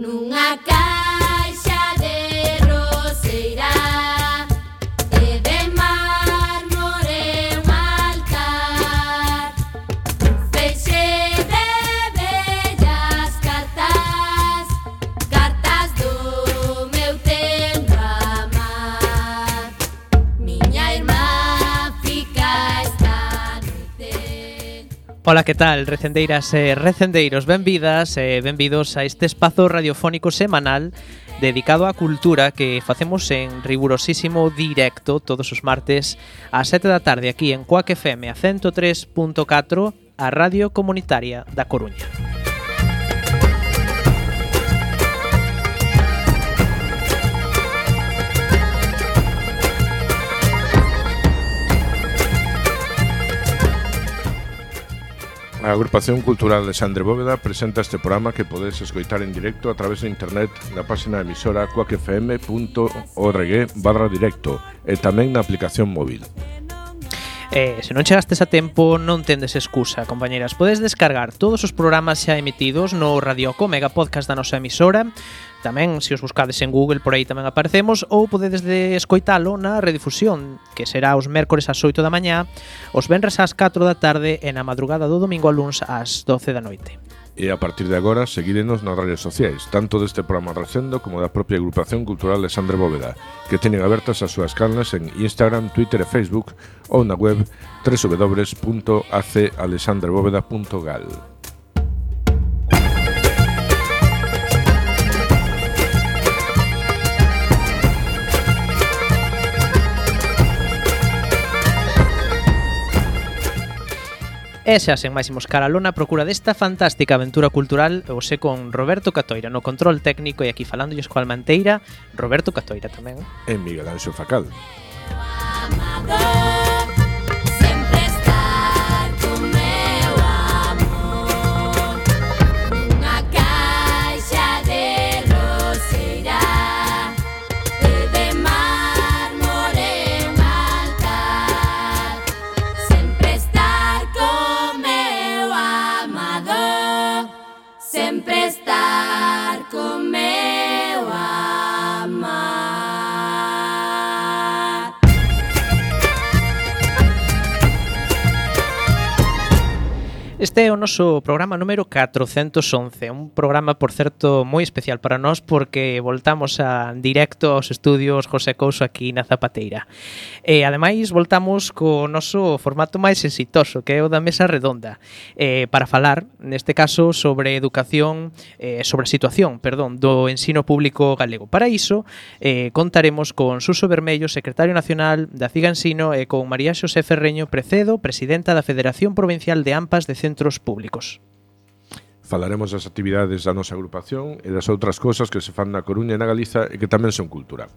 Nunha caixa de roseira e de mármore un altar, feixe de bellas cartas, cartas do meu tempo amar. Miña irmá fica esta noite. Ola, que tal, recendeiras e recendeiros? Benvidas e benvidos a este espazo radiofónico semanal dedicado á cultura que facemos en rigurosísimo directo todos os martes ás 7 da tarde aquí en Cuac FM a 103.4, a Radio Comunitaria da Coruña. A Agrupación Cultural Alexandre Bóveda presenta este programa que podes escoitar en directo a través de internet na página emisora cuacfm.org/directo e tamén na aplicación móvil. Se non chegastes a tempo, non tendes excusa, compañeras. Podes descargar todos os programas xa emitidos no Radioco Mega Podcast da nosa emisora. Tamén, se os buscades en Google, por aí tamén aparecemos, ou podedes escoitalo na redifusión, que será os mércores ás 8 da mañá, os venres ás 4 da tarde e na madrugada do domingo a luns ás 12 da noite. E a partir de agora, seguírenos nas redes sociais, tanto deste programa recendo como da propia Agrupación Cultural Alexandre Bóveda, que teñen abertas as súas canles en Instagram, Twitter e Facebook ou na web www.acalexandrebóveda.gal. E xa sen máis imos cara a lona a procura desta fantástica aventura cultural, hoxe con Roberto Catoira no control técnico e aquí falándolles coa Almanteira, Roberto Catoira tamén. E Miguel Anxo Facal. Este é o noso programa número 411, un programa, por certo, moi especial para nós porque voltamos a directo aos estudios José Couso aquí na Zapateira. E, ademais, voltamos co noso formato máis exitoso, que é o da mesa redonda, para falar, neste caso, sobre educación, sobre a situación, do ensino público galego. Para iso, contaremos con Suso Bermello, secretario nacional da CIGA Ensino, e con María Xosé Ferreño Precedo, presidenta da Federación Provincial de AMPAs de Centros Públicos. Falaremos das actividades da nosa agrupación e das outras cousas que se fan na Coruña e na Galiza e que tamén son cultura.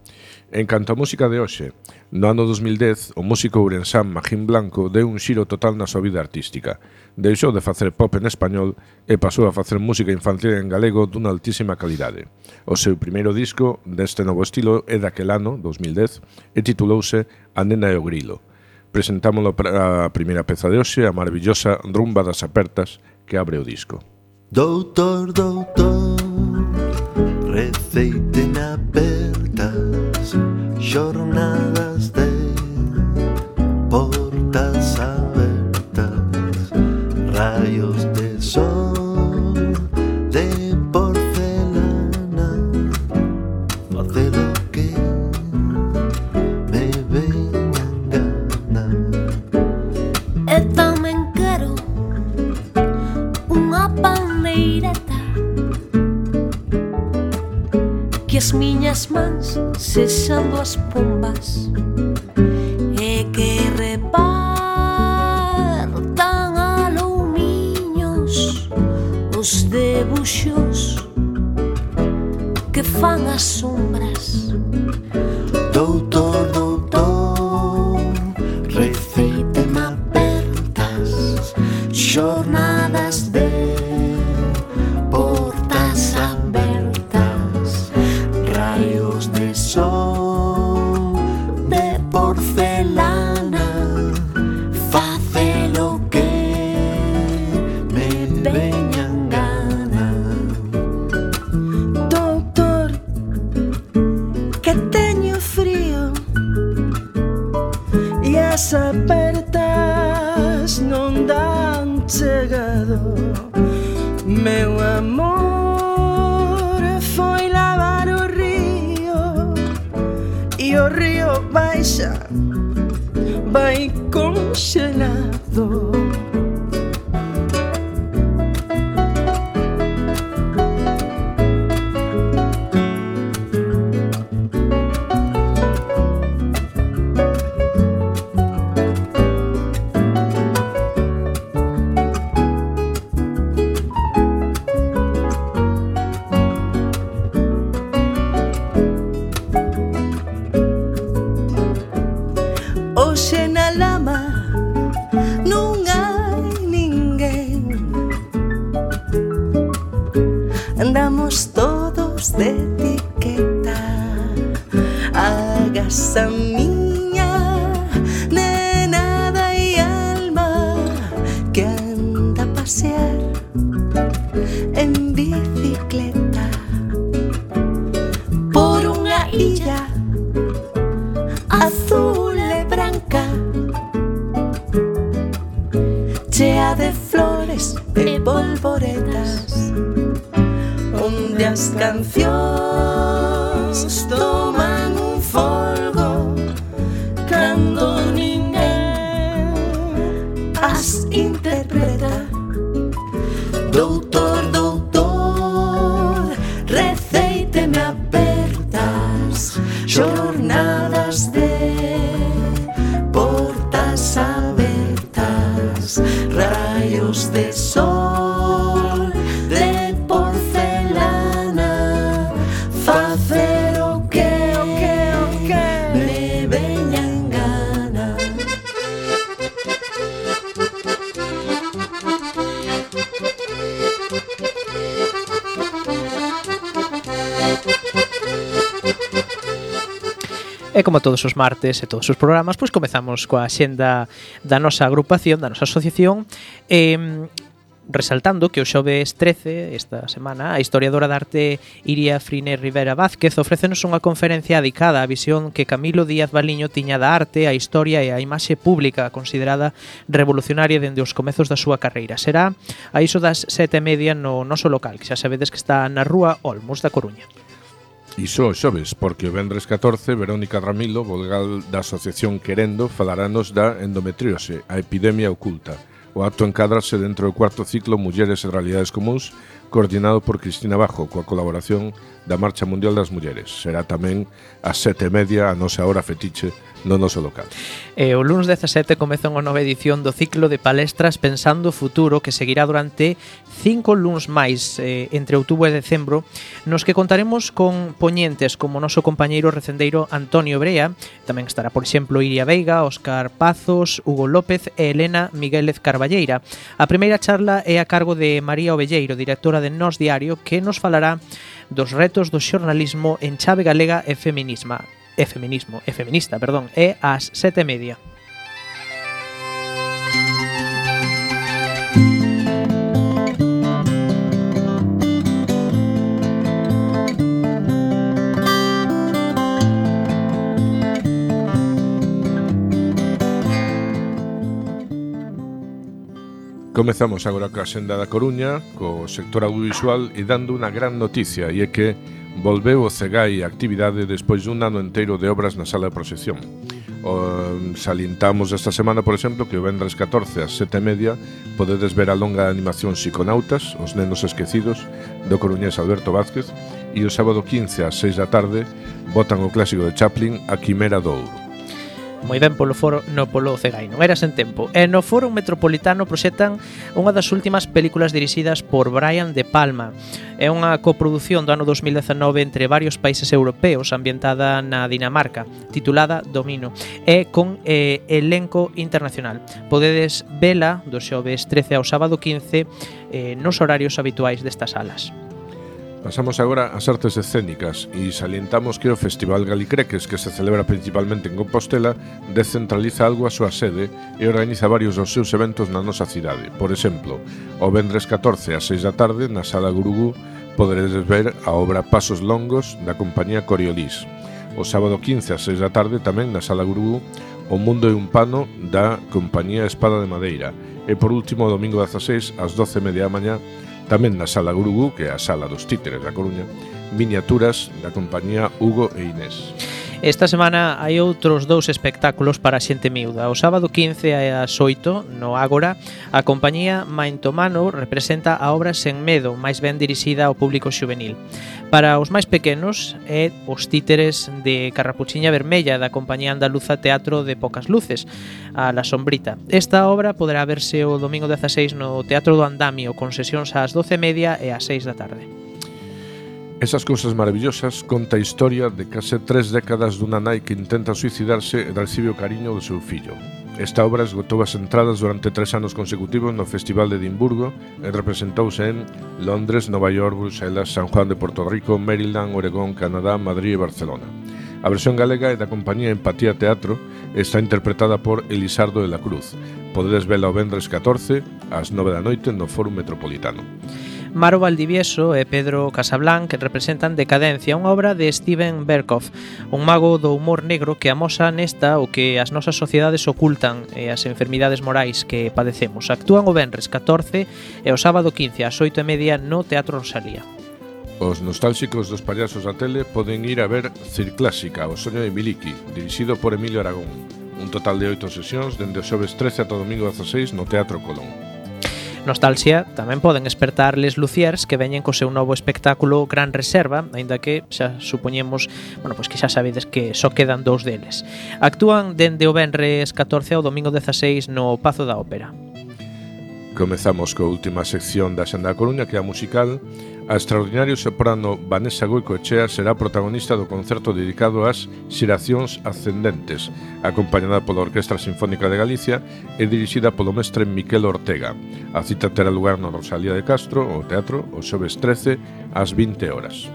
En canto a música de hoxe, no ano 2010, o músico ourensán Magín Blanco deu un xiro total na súa vida artística. Deixou de facer pop en español e pasou a facer música infantil en galego dunha altísima calidade. O seu primeiro disco deste novo estilo é daquel ano, 2010, e titulouse A nena e o grilo. Presentámoslo para a primeira peza de hoxe, a maravillosa Rumba das Apertas, que abre o disco. Doutor, doutor, receiten apertas, xornadas de portas abertas, rayos de sol de porcelana, facelo que me veñan gana. E tamén quero unha pandeireta, que as miñas mans sexan duas pombas e que repartan alumiños os debuxos que fan as sombras. Doutor, doutor, receiten apertas, xornadas de portas abertas, rayos de sol de porcelana, facelo que me veñan gana. Meu amor foi lavar o río e o río baixa, vai congelado. Hoxe na lama non hai ninguén, andamos todos de etiqueta. Agasa miña nena e alma que anda a pasear en bicicleta por unha illa azul e branca, chea de flores e polvoretas, onde as cancións toman un folgo cando ninguén as interpreta. Doutor, doutor, receíteme apertas jornadas de portas abertas, rayos de sol de porcelana, facer o que me veña en gana. E como todos os martes e todos os programas, pois comezamos coa xenda da nosa agrupación, da nosa asociación, resaltando que o xoves 13, esta semana, a historiadora de arte Iria Friner Rivera Vázquez ofrécenos unha conferencia dedicada á visión que Camilo Díaz Baliño tiña da arte, a historia e a imaxe pública considerada revolucionaria dende os comezos da súa carreira. Será a iso das 7:30 no noso local, que xa sabedes que está na rúa Olmos da Coruña. Iso xoves, porque o vendres 14, Verónica Ramilo, vogal da Asociación Querendo, falarános da endometriose, a epidemia oculta. O acto encádrase dentro do cuarto ciclo Mulleres e Realidades Comúns, coordinado por Cristina Bajo, coa colaboración da Marcha Mundial das Mulleres. Será tamén ás 7:30 a nosa hora fetiche no noso local. O lunes 17 comeza unha nova edición do ciclo de palestras Pensando o Futuro, que seguirá durante 5 luns máis entre outubro e decembro, nos que contaremos con poñentes como o noso compañeiro recendeiro Antonio Brea. Tamén estará, por exemplo, Iria Veiga, Óscar Pazos, Hugo López e Elena Miguélez Carballeira. A primeira charla é a cargo de María Ovelleiro, directora de Nós Diario, que nos falará dos retos do xornalismo en chave galega e feminista, é ás 7:30. Comezamos agora coa xenda da Coruña, co sector audiovisual e dando unha gran noticia, e é que volveu o CEGAI a actividade despois dun ano enteiro de obras na sala de proxección. Salientamos esta semana, por exemplo, que o vendres 14 ás 7:30 podedes ver a longa animación Psiconautas, Os nenos esquecidos, do coruñés Alberto Vázquez, e o sábado 15 ás 6 da tarde botan o clásico de Chaplin, A Quimera do Ouro. Moi ben polo foro, no polo CEGAI, non era sen tempo. E no Foro Metropolitano proxectan unha das últimas películas dirixidas por Brian De Palma. É unha coprodución do ano 2019 entre varios países europeos, ambientada na Dinamarca, titulada Domino, e con elenco internacional. Podedes vela do xoves 13 ao sábado 15 nos horarios habituais destas salas. Pasamos agora ás artes escénicas e salientamos que o Festival Galicreques, que se celebra principalmente en Compostela, descentraliza algo a súa sede e organiza varios dos seus eventos na nosa cidade. Por exemplo, o vendres 14 ás 6 da tarde, na Sala Gurugú, poderedes ver a obra Pasos Longos da compañía Coriolis. O sábado 15 ás 6 da tarde, tamén na Sala Gurugú, O Mundo é un Pano da compañía Espada de Madeira. E por último, o domingo 16 ás 12:30 da mañá, Tamén na Sala Gurugú, que é a Sala dos Títeres da Coruña, miniaturas da compañía Hugo e Inés. Esta semana hai outros 2 espectáculos para a xente miúda. O sábado 15 ás 8, no Ágora, a compañía Maintomano representa a obra Sen Medo, máis ben dirixida ao público xuvenil. Para os máis pequenos é Os Títeres de Carrapuchiña Vermella, da compañía andaluza Teatro de Pocas Luces, a La Sombrita. Esta obra poderá verse o domingo 16 no Teatro do Andamio, con sesións ás 12:30 e ás 6 da tarde. Esas cousas maravillosas conta a historia de case 3 décadas dunha nai que intenta suicidarse e recibe o cariño do seu fillo. Esta obra esgotou as entradas durante 3 anos consecutivos no Festival de Edimburgo e representouse en Londres, Nova York, Bruselas, San Juan de Porto Rico, Maryland, Oregón, Canadá, Madrid e Barcelona. A versión galega é da compañía Empatía Teatro e está interpretada por Elisardo de la Cruz. Podedes vela o vendres 14 ás 9 da noite no Fórum Metropolitano. Maro Valdivieso e Pedro Casablanc representan Decadencia, unha obra de Steven Berkoff, un mago do humor negro que amosa nesta o que as nosas sociedades ocultan e as enfermidades morais que padecemos. Actúan o venres 14 e o sábado 15 ás 8:30 no Teatro Rosalía. Os nostálxicos dos payasos da tele poden ir a ver Circlásica, o soño de Miliki, dirixido por Emilio Aragón. Un total de 8 sesións dende o xoves 13 ata o domingo 16 no Teatro Colón. Nostalxia tamén poden espertar Les Luciers, que veñen co seu novo espectáculo Gran Reserva, aínda que xa supoñemos, pois que xa sabedes que só quedan 2 deles. Actúan dende o venres 14 ao domingo 16 no Pazo da Ópera. Comezamos coa última sección da Xenda da Coruña, que é a musical. A extraordinario soprano Vanessa Goicoechea será protagonista do concerto dedicado ás Xeracións Ascendentes, acompañada pola Orquestra Sinfónica de Galicia e dirixida polo mestre Miquel Ortega. A cita terá lugar no Rosalía de Castro, o teatro, o xoves 13 ás 20 horas.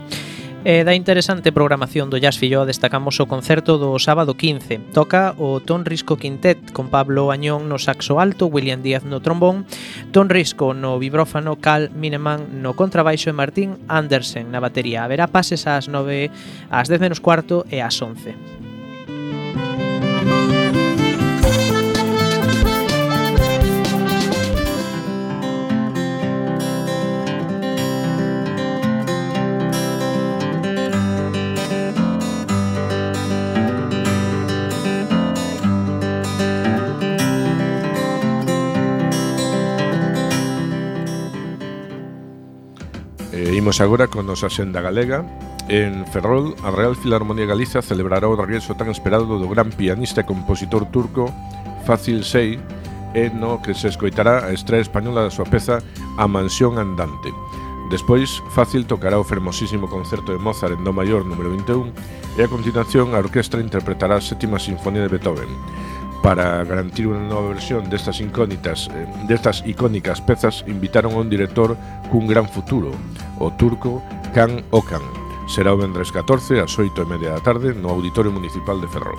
E da interesante programación do Jazz Filloa destacamos o concerto do sábado 15. Toca o Ton Risco Quintet con Pablo Añón no saxo alto, William Díaz no trombón, Ton Risco no vibrófano, Cal Mineman no contrabaixo e Martín Andersen na batería. Haberá pases ás 9, ás 10 menos cuarto e ás 11. Imos agora con nosa xenda galega. En Ferrol, a Real Filarmonía Galiza celebrará o regreso tan esperado do gran pianista e compositor turco Fazil Say, e no que se escoitará a estrea española da súa peza A Mansión Andante. Despois, Fácil tocará o fermosísimo concerto de Mozart en Do maior número 21 e a continuación a orquestra interpretará a sétima sinfonía de Beethoven. Para garantir unha nova versión destas icónicas pezas, invitaron a un director cun gran futuro, o turco Can Okan. Será o vendres 14 ás 8:30 da tarde no Auditorio Municipal de Ferrol.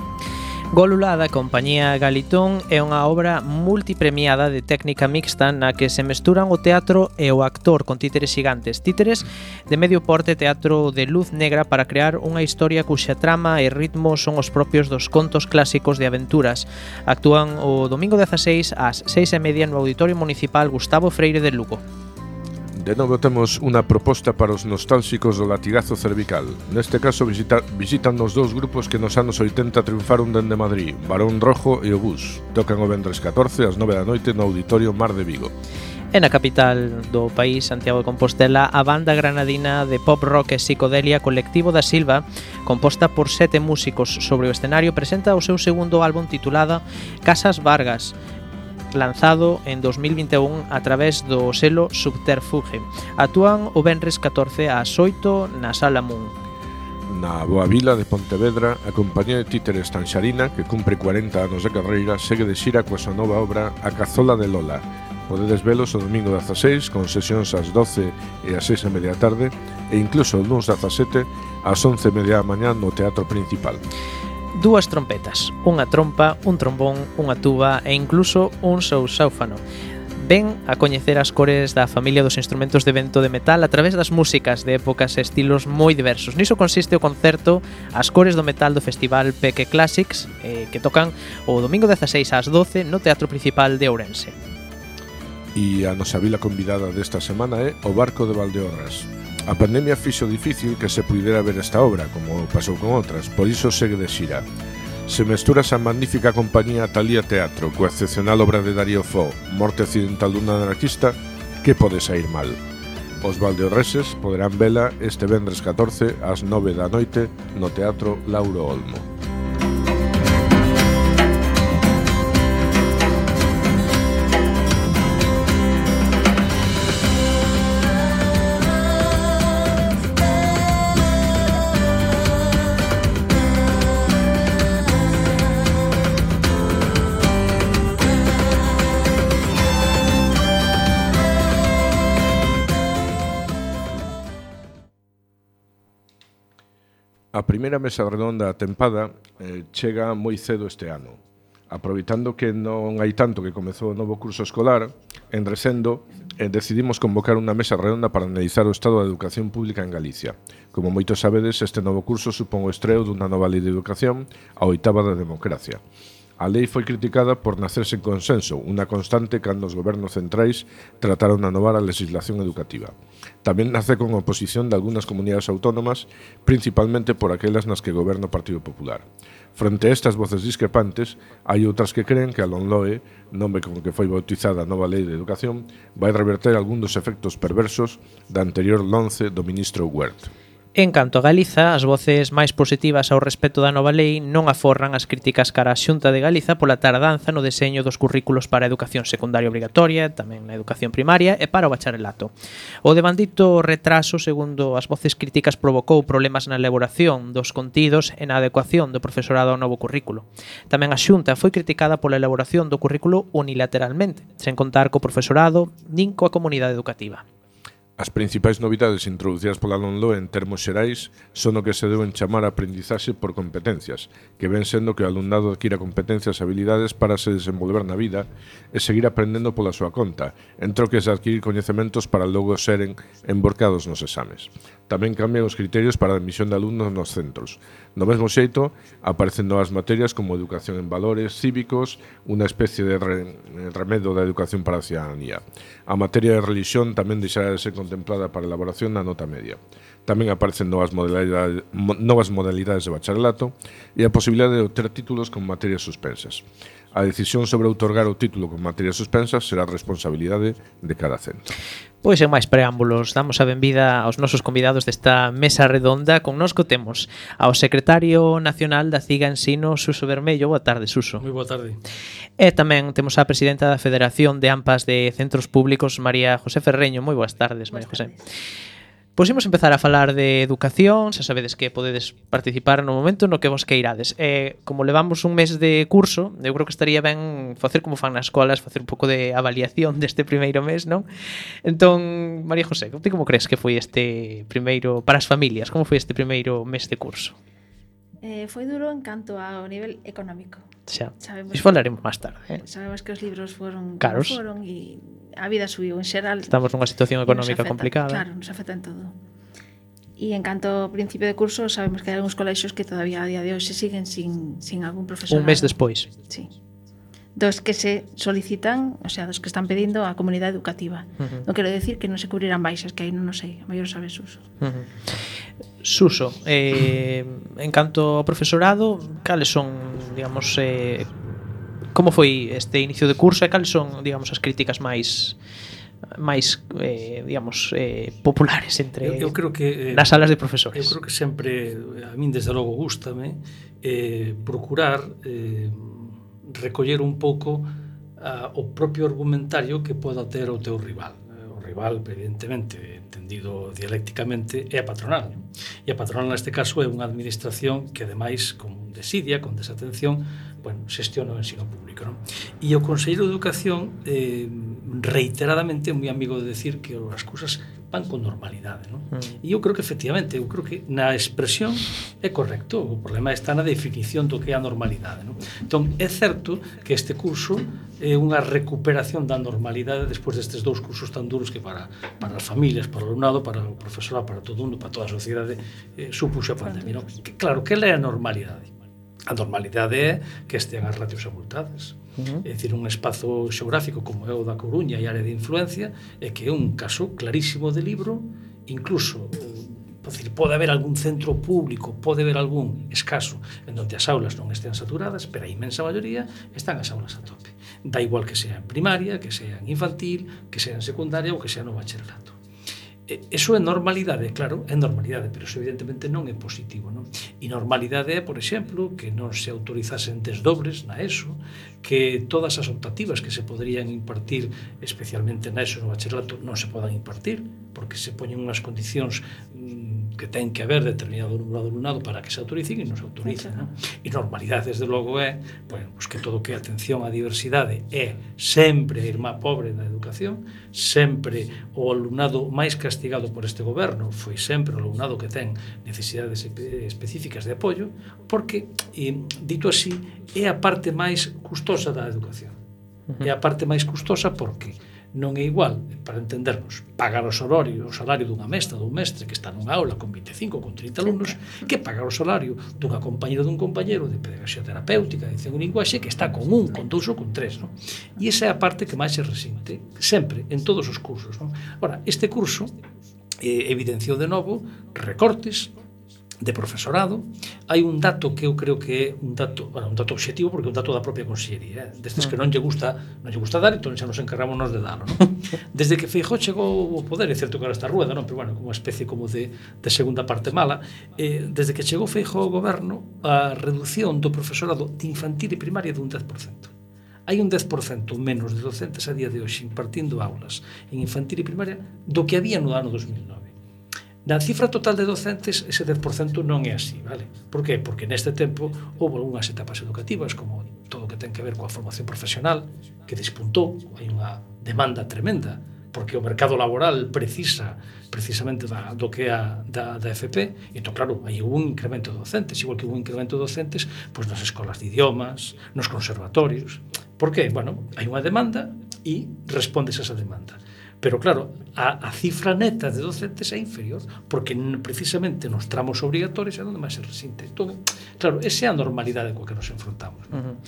Gólula da compañía Galitón é unha obra multipremiada de técnica mixta na que se mesturan o teatro e o actor con títeres xigantes. Títeres de medio porte, teatro de luz negra para crear unha historia cuxa trama e ritmo son os propios dos contos clásicos de aventuras. Actúan o domingo 16 ás 6:30 no Auditorio Municipal Gustavo Freire de Lugo. De novo temos unha proposta para os nostálxicos do latigazo cervical. Neste caso visitan os dous grupos que nos anos 80 triunfaron dende Madrid, Barón Rojo e o Bus. Tocan o vendres 14 ás 9 da noite no Auditorio Mar de Vigo. E na capital do país, Santiago de Compostela, a banda granadina de pop rock e psicodelia Colectivo da Silva, composta por 7 músicos sobre o escenario, presenta o seu segundo álbum titulado Casas Vargas, lanzado en 2021 a través do selo Subterfuge. Actúan o venres 14 ás 8 na Sala Moon. Na Boa Vila de Pontevedra, a compañía de títeres Tanxarina, que cumpre 40 anos de carreira, segue de xira coa súa nova obra A Cazola de Lola. Podedes velos o domingo 16 con sesións ás 12 e ás 6:30 da tarde e incluso o luns 17 ás 11:30 da mañá no Teatro Principal. 2 trompetas, unha trompa, un trombón, unha tuba e incluso un sousáufano. Ven a coñecer as cores da familia dos instrumentos de vento de metal a través das músicas de épocas e estilos moi diversos. Niso consiste o concerto As cores do metal do Festival Peque Classics, que tocan o domingo 16 ás 12 no Teatro Principal de Ourense. E a nosa vila convidada desta semana é o Barco de Valdeorras. A pandemia fixo difícil que se puidera ver esta obra, como pasou con outras, por iso segue de xira. Se mesturas a magnífica compañía Talía Teatro coa excepcional obra de Darío Fo, Morte accidental dun anarquista, que pode sair mal? Os valdeorreses poderán vela este vendres 14 ás 9 da noite no Teatro Lauro Olmo. A primeira mesa redonda atempada chega moi cedo este ano. Aproveitando que non hai tanto que comezou o novo curso escolar, en Recendo decidimos convocar unha mesa redonda para analizar o estado da educación pública en Galicia. Como moitos sabedes, este novo curso supón o estreo dunha nova lei de educación, a 8ª da democracia. A lei foi criticada por nacer sen consenso, unha constante cando os gobernos centrais trataron de anovar a legislación educativa. Tamén nace con oposición de algunhas comunidades autónomas, principalmente por aquelas nas que goberna o Partido Popular. Frente a estas voces discrepantes, hai outras que creen que a LOMLOE, nome con que foi bautizada a nova lei de educación, vai reverter algún dos efectos perversos da anterior LONCE do ministro Huert. En canto a Galiza, as voces máis positivas ao respecto da nova lei non aforran as críticas cara a Xunta de Galiza pola tardanza no deseño dos currículos para a educación secundaria obrigatoria, tamén na educación primaria e para o bacharelato. O devandito retraso, segundo as voces críticas, provocou problemas na elaboración dos contidos e na adecuación do profesorado ao novo currículo. Tamén a Xunta foi criticada pola elaboración do currículo unilateralmente, sen contar co profesorado nin coa comunidade educativa. As principais novidades introducidas pola LOMLOE en termos xerais son o que se deben chamar aprendizaxe por competencias, que ven sendo que o alumnado adquira competencias e habilidades para se desenvolver na vida e seguir aprendendo pola súa conta, en troques de adquirir coñecementos para logo seren emborcados nos exames. Tamén cambian os criterios para a admisión de alumnos nos centros. Do mesmo xeito, aparecen novas materias como educación en valores cívicos, unha especie de remedo da educación para a ciudadanía. A materia de religión tamén deixará de ser contemplada para a elaboración na nota media. Tamén aparecen novas modalidades de bacharelato e a posibilidade de obter títulos con materias suspensas. A decisión sobre outorgar o título con materias suspensas será responsabilidade de cada centro. Pois en máis preámbulos, damos a benvida aos nosos convidados desta mesa redonda. Connosco temos ao secretario nacional da CIGA Ensino, Suso Bermello. Boa tarde, Suso. Moi boa tarde. E tamén temos a presidenta da Federación de AMPAs de Centros Públicos, María José Ferreño. Moi boas tardes, María José. Pois imos empezar a falar de educación. Xa sabedes que podedes participar no momento no que vos queirades. Como levamos un mes de curso, eu creo que estaría ben facer como fan nas escolas, facer un pouco de avaliación deste primeiro mes, non? Entón, María José, ti como crees que foi este primeiro, para as familias, como foi este primeiro mes de curso? Foi duro en canto ao nivel económico. Xa, iso falaremos máis tarde. Sabemos que os libros foron caros, como foron e a vida subiu en xeral. Estamos nunha situación económica complicada. Claro, nos afecta en todo. E en canto ao principio de curso, sabemos que hai algúns colexios que todavía a día de hoxe siguen sin algún profesor. Un mes despois. Sí. Dos que se solicitan, o sea, dos que están pedindo a comunidade educativa. Non quero decir que non se cubrirán baixas, que aí non sei, a mellor sabes, Suso. Suso, en canto ao profesorado, cales son, digamos, como foi este inicio de curso e cales son, digamos, as críticas máis digamos, populares entre eu creo que nas salas de profesores? Eu creo que sempre, a min desde logo gústame procurar recoller un pouco o propio argumentario que poda ter o teu rival. O rival, evidentemente, entendido dialécticamente, é a patronal. E a patronal, neste caso, é unha administración que, ademais, con desidia, con desatención, xestiona o ensino público, non? E o Conselleiro de Educación reiteradamente é moi amigo de decir que as cousas van con normalidade, non? E eu creo que efectivamente, eu creo que na expresión é correcto, o problema está na definición do que é a normalidade, non? Entón, é certo que este curso é unha recuperación da normalidade despois destes dous cursos tan duros que para as familias, para o alumnado, para o profesorado, para todo mundo, para toda a sociedade supuxo a pandemia, non? Que, claro, que é a normalidade? A normalidade é que estean as ratios abultadas. É dicir, un espazo xeográfico como é o da Coruña e área de influencia é que é un caso clarísimo de libro, incluso pode haber algún centro público, pode haber algún escaso en donde as aulas non estén saturadas, pero a inmensa maioría están as aulas a tope. Da igual que sea en primaria, que sea en infantil, que sea en secundaria ou que sea no bacharelato. Eso é normalidade, claro, é normalidade, pero eso evidentemente non é positivo, non? E normalidade é, por exemplo, que non se autorizasen desdobres na ESO, que todas as optativas que se poderían impartir, especialmente na ESO no bacharelato, non se podan impartir, porque se poñen unhas condicións que ten que haber determinado número de alumnado para que se autoricen e non se autorizan, non? E normalidade, desde logo, é pues que todo que a atención á diversidade é sempre a irmá pobre da educación, sempre o alumnado máis castigado por este goberno foi sempre o alumnado que ten necesidades específicas de apoio, porque, dito así, é a parte máis custosa da educación. É a parte máis custosa porque non é igual, para entendernos, pagar o salario dunha mestra, dun mestre que está nunha aula con 25 ou con 30 alumnos, que pagar o salario dunha compañera dun compañero de pedagoxía terapéutica, de edición e linguaxe, que está con 1, con 2 ou con 3, non? E esa é a parte que máis se resinte, sempre, en todos os cursos, non? Ora, este curso evidenciou de novo recortes de profesorado. Hai un dato que eu creo que é un dato obxectivo, porque é un dato da propia consellería, destes que non lle gusta dar, entón xa nos encargamos de dalo, non? Desde que Feijóo chegou ao poder, é certo que ahora está rueda, non? Pero bueno, como unha especie como de segunda parte mala, desde que chegou Feijóo ao goberno, a reducción do profesorado de infantil e primaria de un 10%. Hai un 10% menos de docentes a día de hoxe impartindo aulas en infantil e primaria do que había no ano 2009. Na cifra total de docentes, ese 10% non é así, vale? Por qué? Porque neste tempo houve algunhas etapas educativas, como todo o que ten que ver coa formación profesional, que despuntou, hai unha demanda tremenda, porque o mercado laboral precisa precisamente do que é da FP, e entón, claro, hai un incremento de docentes, igual que un incremento de docentes pois nas escolas de idiomas, nos conservatorios. Por qué? Bueno, hai unha demanda e respondes a esa demanda. Pero claro, a cifra neta de docentes é inferior, porque precisamente nos tramos obrigatorios é onde máis se resinte. Entón, claro, esa é a normalidade coa que nos enfrontamos, non?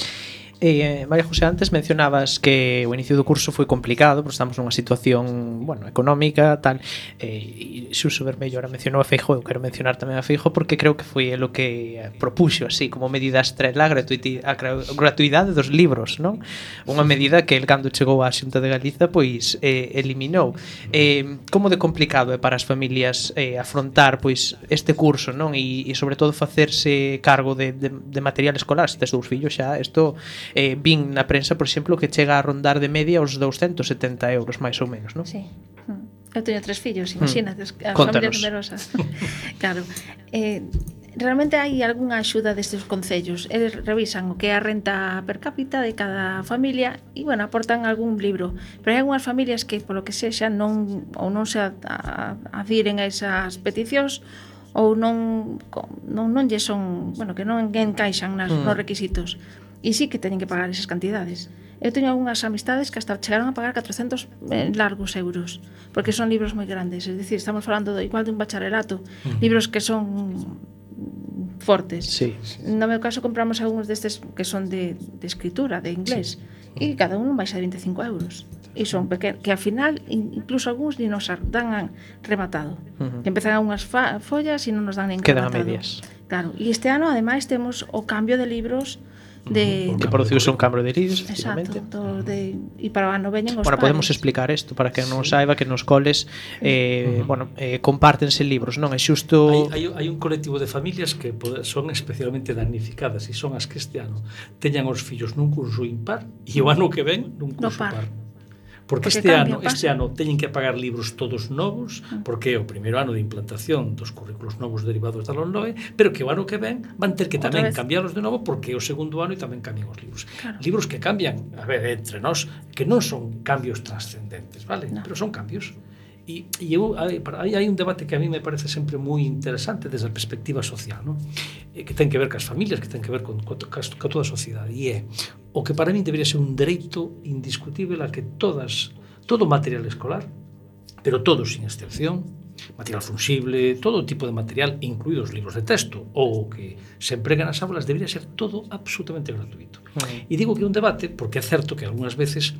María José, antes mencionabas que o inicio do curso foi complicado, porque estamos nunha situación, bueno, económica, tal, e Xuso Bermello ahora mencionou a Feijóo, eu quero mencionar tamén a Feijóo porque creo que foi o que propuxo así como medida estrela a gratuidade dos libros, non? Unha medida que el cando chegou á Xunta de Galiza pois eliminou. Como de complicado é para as familias afrontar pois este curso, non? E sobre todo facerse cargo de material escolar, se tes dous fillos xa, isto vin na prensa, por exemplo, que chega a rondar de media os 270 euros, máis ou menos, non? Sí. Eu teño 3 fillos, imagínate, a Contanos. familia numerosa. Claro. Realmente hai algunha axuda destes concellos. Eles revisan o que é a renta per cápita de cada familia e, bueno, aportan algún libro. Pero hai algunhas familias que, polo que sexa, non se adhiren a esas peticións ou non lle son, bueno, que non encaixan nos requisitos. E sí que teñen que pagar esas cantidades. Eu teño algunhas amistades que hasta chegaron a pagar 400 largos euros, porque son libros moi grandes, é dicir, estamos falando igual de un bacharelato, libros que son fortes. Sí. No meu caso compramos algúns destes que son de escritura, de inglés, e cada un vai ser 25 euros. E son pequenos, que ao final incluso algúns ni nos dan rematado. Que empezan algunhas follas e non nos dan nin quedan rematado. Quedan a medias. Claro, e este ano ademais temos o cambio de libros que produciuse un cambio de libros, efectivamente. Exacto, e para o ano veñen os Bueno, podemos explicar isto para que non saiba que nos coles compártense libros, non? É xusto... Hai un colectivo de familias que son especialmente damnificadas e son as que este ano teñan os fillos nun curso impar e o ano que ven nun curso par. Porque este ano teñen que pagar libros todos novos, porque é o primeiro ano de implantación dos currículos novos derivados da LOMLOE, pero que o ano que ven van ter que tamén cambiarlos de novo porque é o segundo ano e tamén cambian os libros. Claro. Libros que cambian, a ver, entre nós, que non son cambios trascendentes, vale? No. Pero son cambios. E hai un debate que a mí me parece sempre moi interesante desde a perspectiva social, ¿no? Que ten que ver cas familias, que ten que ver con toda a sociedade, e é o que para mí debería ser un dereito indiscutible a que todo material escolar, pero todo sin excepción, material fungible, todo tipo de material, incluídos libros de texto, ou que se emprega nas aulas, debería ser todo absolutamente gratuito. E digo que é un debate porque é certo que algunhas veces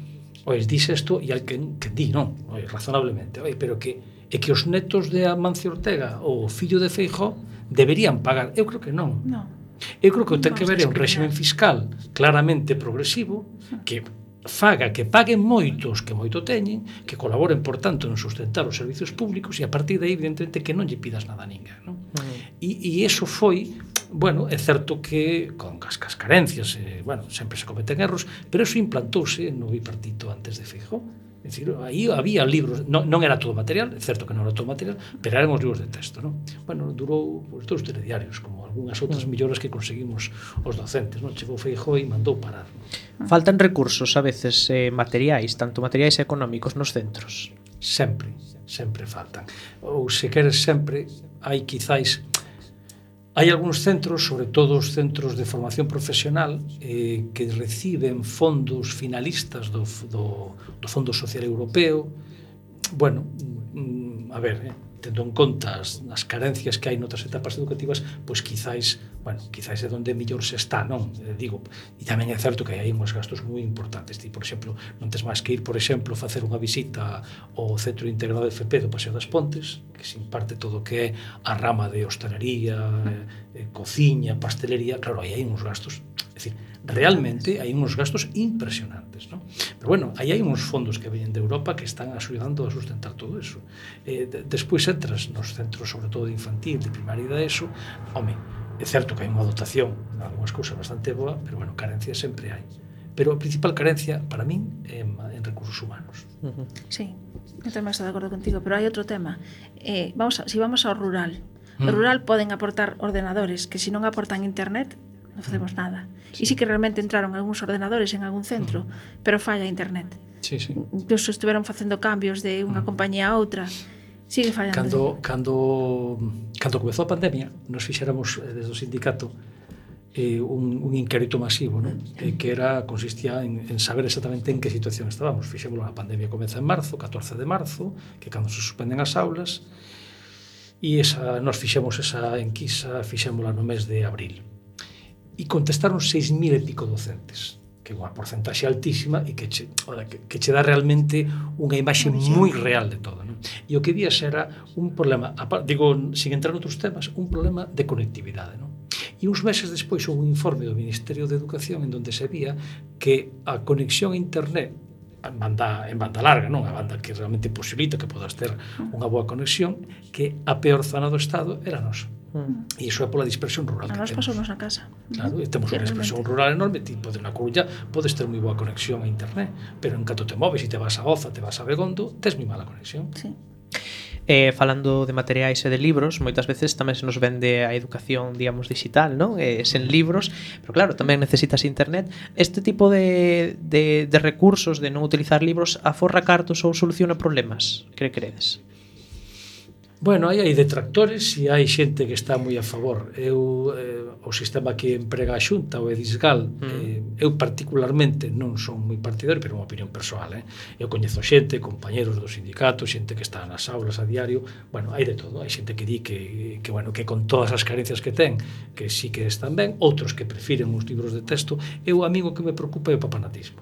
dice isto e hai que di, non, razonablemente, pero que os netos de Amancio Ortega ou o fillo de Feijóo deberían pagar. Eu creo que non. Eu creo que ten que ver un réxime fiscal claramente progresivo que faga que paguen moitos que moito teñen, que colaboren, por tanto, en sustentar os servicios públicos e a partir de aí, evidentemente, que non lle pidas nada a ninguén, non? E iso foi, bueno, é certo que con as carencias, sempre se cometen erros, pero iso implantouse no bipartito antes de Feijóo. É dicir, aí había libros, non era todo material, é certo que non era todo material, pero eran os libros de texto, non? Bueno, durou os dous telediarios, como algunhas outras melloras que conseguimos os docentes, non? Chegou Feijóo e mandou parar, non? Faltan recursos, a veces, materiais, tanto materiais económicos nos centros. Sempre faltan. Ou, se queres, sempre hai quizáis... Hai algúns centros, sobre todo os centros de formación profesional, que reciben fondos finalistas do Fondo Social Europeo. Bueno, a ver, tendo en conta as carencias que hai noutras etapas educativas, pois quizáis é onde mellor se está, non? Digo, e tamén é certo que hai uns gastos moi importantes. Por exemplo, non tes máis que ir, por exemplo, facer unha visita ao Centro Integrado de FP do Paseo das Pontes, que se imparte todo o que é a rama de hostalería, cociña, pastelería. Claro, aí hai uns gastos, é dicir, realmente hai uns gastos impresionantes, non? Pero bueno, aí hai uns fondos que veñen de Europa que están axudando a sustentar todo eso. Despois entras nos centros, sobre todo de infantil, de primaria e de ESO, é certo que hai unha dotación en algunhas cousas bastante boa, pero bueno, carencia sempre hai. Pero a principal carencia, para min, é en recursos humanos. Sí, eu tamén estou de acordo contigo, pero hai outro tema. Si vamos ao rural, no rural poden aportar ordenadores, que se non aportan internet, non facemos nada. E sí que realmente entraron algúns ordenadores en algún centro, pero falla internet. Sí. Incluso estiveron facendo cambios de unha compañía a outra. Sigue fallando. Cando comezou a pandemia, nos fixéramos desde o sindicato un inquérito masivo, non? Que consistía en saber exactamente en que situación estábamos. Fixémoslo, a pandemia comeza en marzo, 14 de marzo, que cando se suspenden as aulas, e nos fixemos esa enquisa, fixémola no mes de abril. E contestaron 6.000 e pico docentes, que é unha porcentaxe altísima e que che dá realmente unha imaxe moi real de todo, non? E o que vías era un problema, digo, sin entrar noutros temas, un problema de conectividade, non? E uns meses despois houve un informe do Ministerio de Educación en donde se vía que a conexión a internet en banda larga, non? A banda que realmente posibilita que podas ter unha boa conexión, que a peor zona do Estado era a nosa. E iso é pola dispersión rural que temos. A nos pasounos na casa. Claro, e temos unha dispersión rural enorme, tipo de na Coruña podes ter moi boa conexión a internet, pero en canto te moves e te vas a Oza, te vas a Begondo, tes moi mala conexión. Sí. Falando de materiais e de libros, moitas veces tamén se nos vende a educación, digamos, digital, non? Sen libros, pero claro, tamén necesitas internet. Este tipo de recursos, de non utilizar libros, aforra cartos ou soluciona problemas? Que credes? Bueno, aí hai detractores e hai xente que está moi a favor. O sistema que emprega a Xunta, o Edisgal, eu particularmente non son moi partidario, pero é unha opinión persoal. Eu coñezo xente, compañeros do sindicato, xente que está nas aulas a diario. Bueno, hai de todo. Hai xente que di que con todas as carencias que ten, que sí que están ben, outros que prefiren os libros de texto. A mí o que me preocupa é o papanatismo.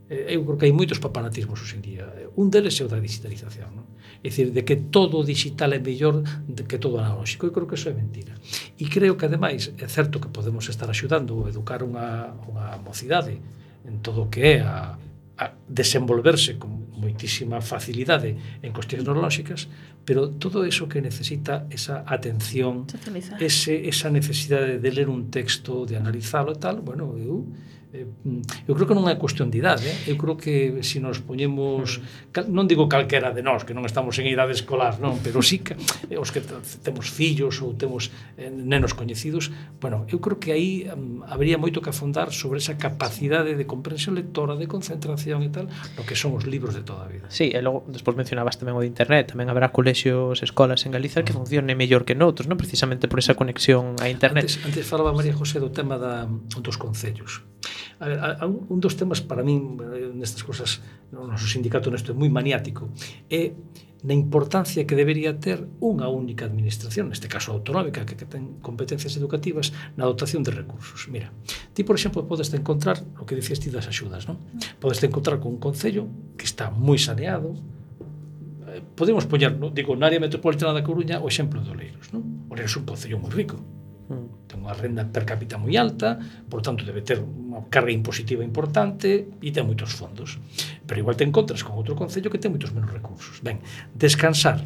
Eu creo que hai moitos papanatismos hoxe en día. Un deles é o da digitalización, non? É dicir, de que todo digital é mellor que todo analóxico. Eu creo que iso é mentira. E creo que, ademais, é certo que podemos estar axudando a educar unha mocidade en todo o que é a desenvolverse con moitísima facilidade en cuestións tecnolóxicas, pero todo eso que necesita esa atención, esa necesidade de ler un texto, de analizalo e tal, bueno, eu creo que non é cuestión de idade. Eu creo que se nos poñemos, non digo calquera de nós, que non estamos en idade escolar, non, pero sí que os que temos fillos ou temos nenos coñecidos, bueno, eu creo que aí habría moito que afondar sobre esa capacidade de comprensión lectora, de concentración e tal, no que son os libros de toda a vida. Sí, e logo, despois mencionabas tamén o de internet, tamén haberá colexios, escolas en Galicia que funcione mellor que noutros, non? Precisamente por esa conexión a internet. Antes falaba María José do tema dos concellos. A ver, un dos temas para min nestas cosas, no noso sindicato nesto é moi maniático, é na importancia que debería ter unha única administración, neste caso autonómica, que ten competencias educativas na dotación de recursos. Mira, ti, por exemplo, podes encontrar o que dicías ti das axudas, non? Podes encontrar con un concello que está moi saneado. Podemos poñer, non? Digo, na área metropolitana da Coruña o exemplo de Oleiros, non? Oleiros é un concello moi rico, ten unha renda per cápita moi alta, por tanto debe ter unha carga impositiva importante e ten moitos fondos, pero igual te encontras con outro concello que ten moitos menos recursos. Ben, descansar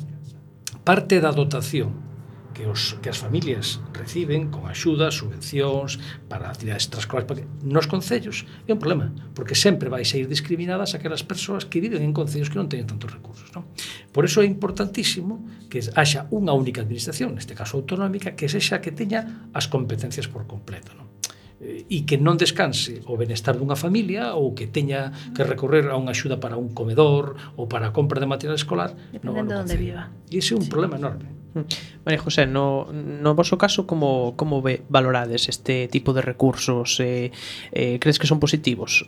parte da dotación que as familias reciben con axudas, subvencións para actividades extraescolares nos concellos é un problema, porque sempre vai ser discriminadas aquelas persoas que viven en concellos que non teñen tantos recursos, non? Por iso é importantísimo que haxa unha única administración, neste caso autonómica, que sexa que teña as competencias por completo, non? E que non descanse o benestar dunha familia ou que teña que recorrer a unha axuda para un comedor ou para a compra de material escolar dependendo de onde viva. E ese é un problema enorme. María José, no voso caso como valorades este tipo de recursos? Crees que son positivos?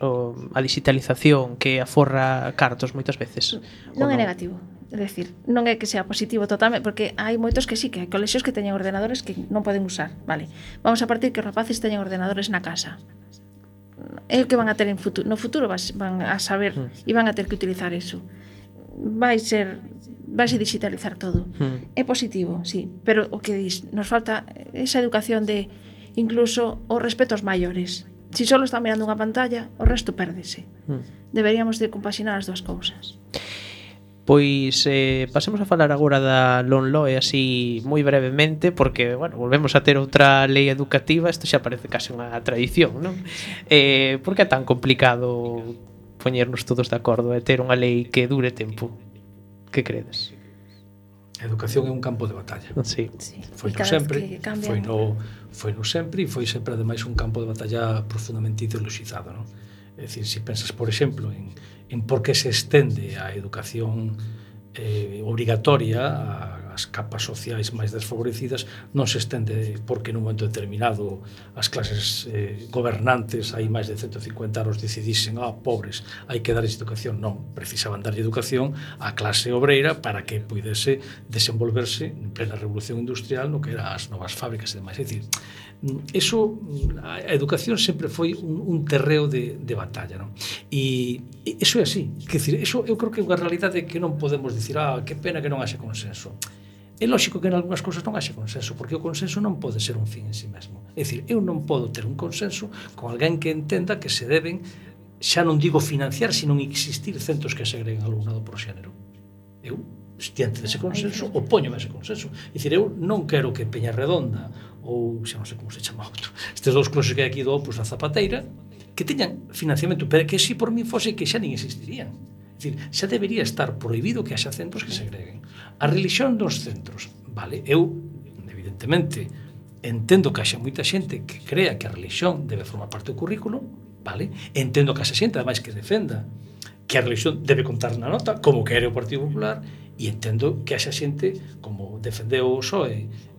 A digitalización que aforra cartos moitas veces? Non é negativo. É dicir, non é que sea positivo totalmente, porque hai moitos que sí, que hai colexios que teñen ordenadores que non poden usar, vale. Vamos a partir que os rapaces teñen ordenadores na casa. É o que van a ter no futuro van a saber e van a ter que utilizar eso. Vaise digitalizar todo. É positivo, sí, pero o que dis, nos falta esa educación de incluso o respeto aos maiores. Si só están mirando unha pantalla, o resto pérdese. Deberíamos de compaxinar as dúas cousas. Pois pasemos a falar agora da LOMLOE así moi brevemente, porque, bueno, volvemos a ter outra lei educativa, isto xa parece case unha tradición, non? Por que é tan complicado poñernos todos de acordo e ter unha lei que dure tempo? Que credes? A educación é un campo de batalla. Sí. Foi no sempre, foi no sempre e foi sempre ademais un campo de batalla profundamente ideologizado, non? É dicir, se pensas, por exemplo, en por que se estende a educación obrigatoria ás capas sociais máis desfavorecidas, non se estende porque nun momento determinado as clases gobernantes hai máis de 150 anos decidisen, pobres, hai que darles educación. Non, precisaban darlle educación á clase obreira para que pudese desenvolverse en plena revolución industrial no que eran as novas fábricas e demais. É dicir, eso, a educación sempre foi un terreo de batalla, non? E iso é así, quer dizer, eso eu creo que é unha realidade que non podemos dicir, que pena que non haxe consenso. É lógico que en algunhas cousas non haxe consenso, porque o consenso non pode ser un fin en si mesmo. É dicir, eu non podo ter un consenso con alguén que entenda que se deben, xa non digo financiar, sino existir centros que segreguen alumnado por xénero. Eu, diante dese consenso, opóñome a ese consenso. É dicir, eu non quero que Peñarredonda ou xa non sei como se chama outro, estes dous closes que hai aquí do Opus da Zapateira, que teñan financiamento, pero que se por mí fose que xa nin existirían. É dicir, xa debería estar prohibido que haxa centros que segreguen. A religión dos centros, vale, eu, evidentemente, entendo que haxa moita xente que crea que a religión debe formar parte do currículo, vale, entendo que haxa xente, ademais, que defenda que a religión debe contar na nota, como quere o Partido Popular, e entendo que haxa xente, como defendeu o PSOE,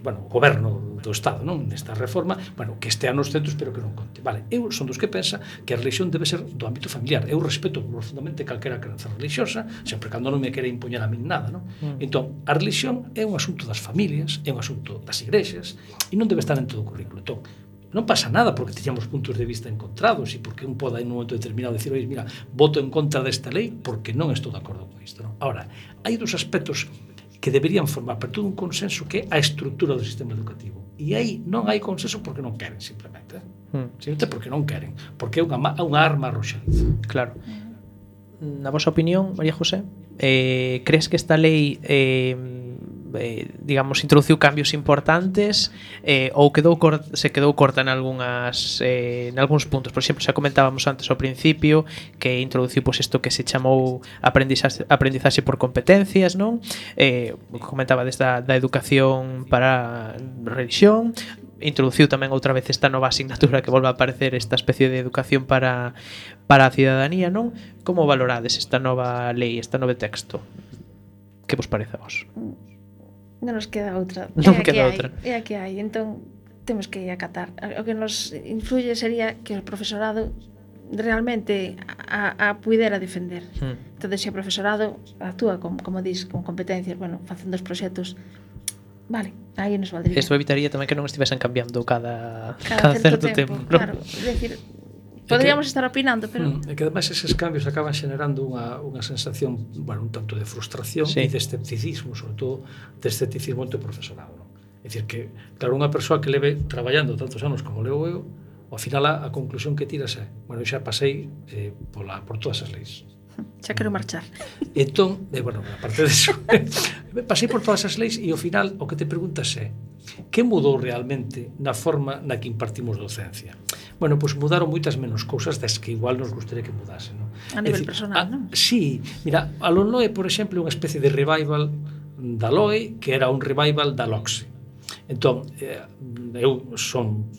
o goberno do Estado, non, nesta reforma, que estea nos centros pero que non conte. Vale, eu son dos que pensa que a religión debe ser do ámbito familiar. Eu respeto profundamente calquera crenza religiosa, sempre cando non me quere impoñer a min nada, non? Entón, a religión é un asunto das familias, é un asunto das igrexas e non debe estar en todo o currículo. Entón, non pasa nada porque teñamos puntos de vista encontrados e porque un poda en un momento determinado decir, mira, voto en contra desta lei porque non estou de acordo con isto, non? Ahora, hai dos aspectos que deberían formar parte dun consenso que é a estrutura do sistema educativo. E aí non hai consenso porque non queren, simplemente. Simplemente porque non queren. Porque é unha arma arroxadiza. Claro. Na vosa opinión, María José, crees que esta lei digamos, introduciu cambios importantes ou se quedou corta en algúns puntos? Por exemplo, xa comentábamos antes ao principio que introduciu isto que se chamou aprendizaxe por competencias, non? Comentaba da educación para religión, introduciu tamén outra vez esta nova asignatura que volve a aparecer, esta especie de educación para a cidadanía, non? Como valorades esta nova lei, este novo texto? Que vos parece a vos? Non nos queda outra. Non queda outra. É a que hai. Entón, temos que acatar. O que nos influye sería que o profesorado realmente a puidera defender. Entón, se o profesorado actúa como dis, con competencias, bueno, facendo os proxectos, vale, aí nos valdría. Isto evitaría tamén que non estivesen cambiando cada certo tempo, ¿no? Claro, é dicir, poderíamos estar opinando, pero É que ademais eses cambios acaban xenerando unha sensación, bueno, un tanto de frustración sí. e de escepticismo, sobre todo de escepticismo entre o profesorado, non? É dicir que, claro, unha persoa que leve traballando tantos anos como leo eu, ao final a conclusión que tiras é, bueno, eu xa pasei por todas as leis. xa quero marchar. Entón, bueno, aparte disso, pasei por todas as leis e ao final o que te preguntas é que mudou realmente na forma na que impartimos docencia? Bueno, pois mudaron moitas menos cousas das que igual nos gustaría que mudase, non? A nivel personal, non? Sí, mira, a LOE, por exemplo, é unha especie de revival da LOE que era un revival da LOCSE. Entón, eu son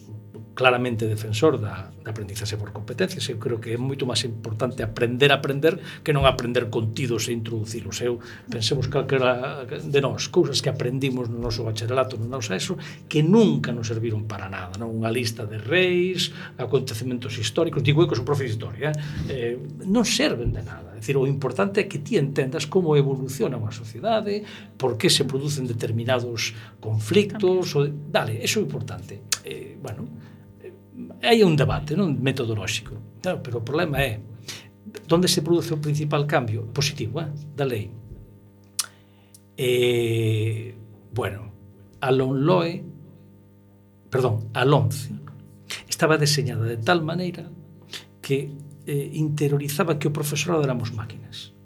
claramente defensor da aprendizaxe por competencias. Eu creo que é moito máis importante aprender a aprender que non aprender contidos e introducilos. Eu pensemos calquera de nós, cousas que aprendimos no noso bacharelato, no noso ESO, que nunca nos serviron para nada, non? Unha lista de reis, acontecementos históricos, digo eu que son profe de historia, non serven de nada. É dicir, o importante é que ti entendas como evoluciona unha sociedade, por que se producen determinados conflictos, dale, eso é importante. Bueno, hai un debate, non, metodolóxico, claro, pero o problema é onde se produce o principal cambio positivo da lei. Bueno, a LOE, perdón, a LOMCE estaba deseñada de tal maneira que interiorizaba que o profesorado éramos máquinas.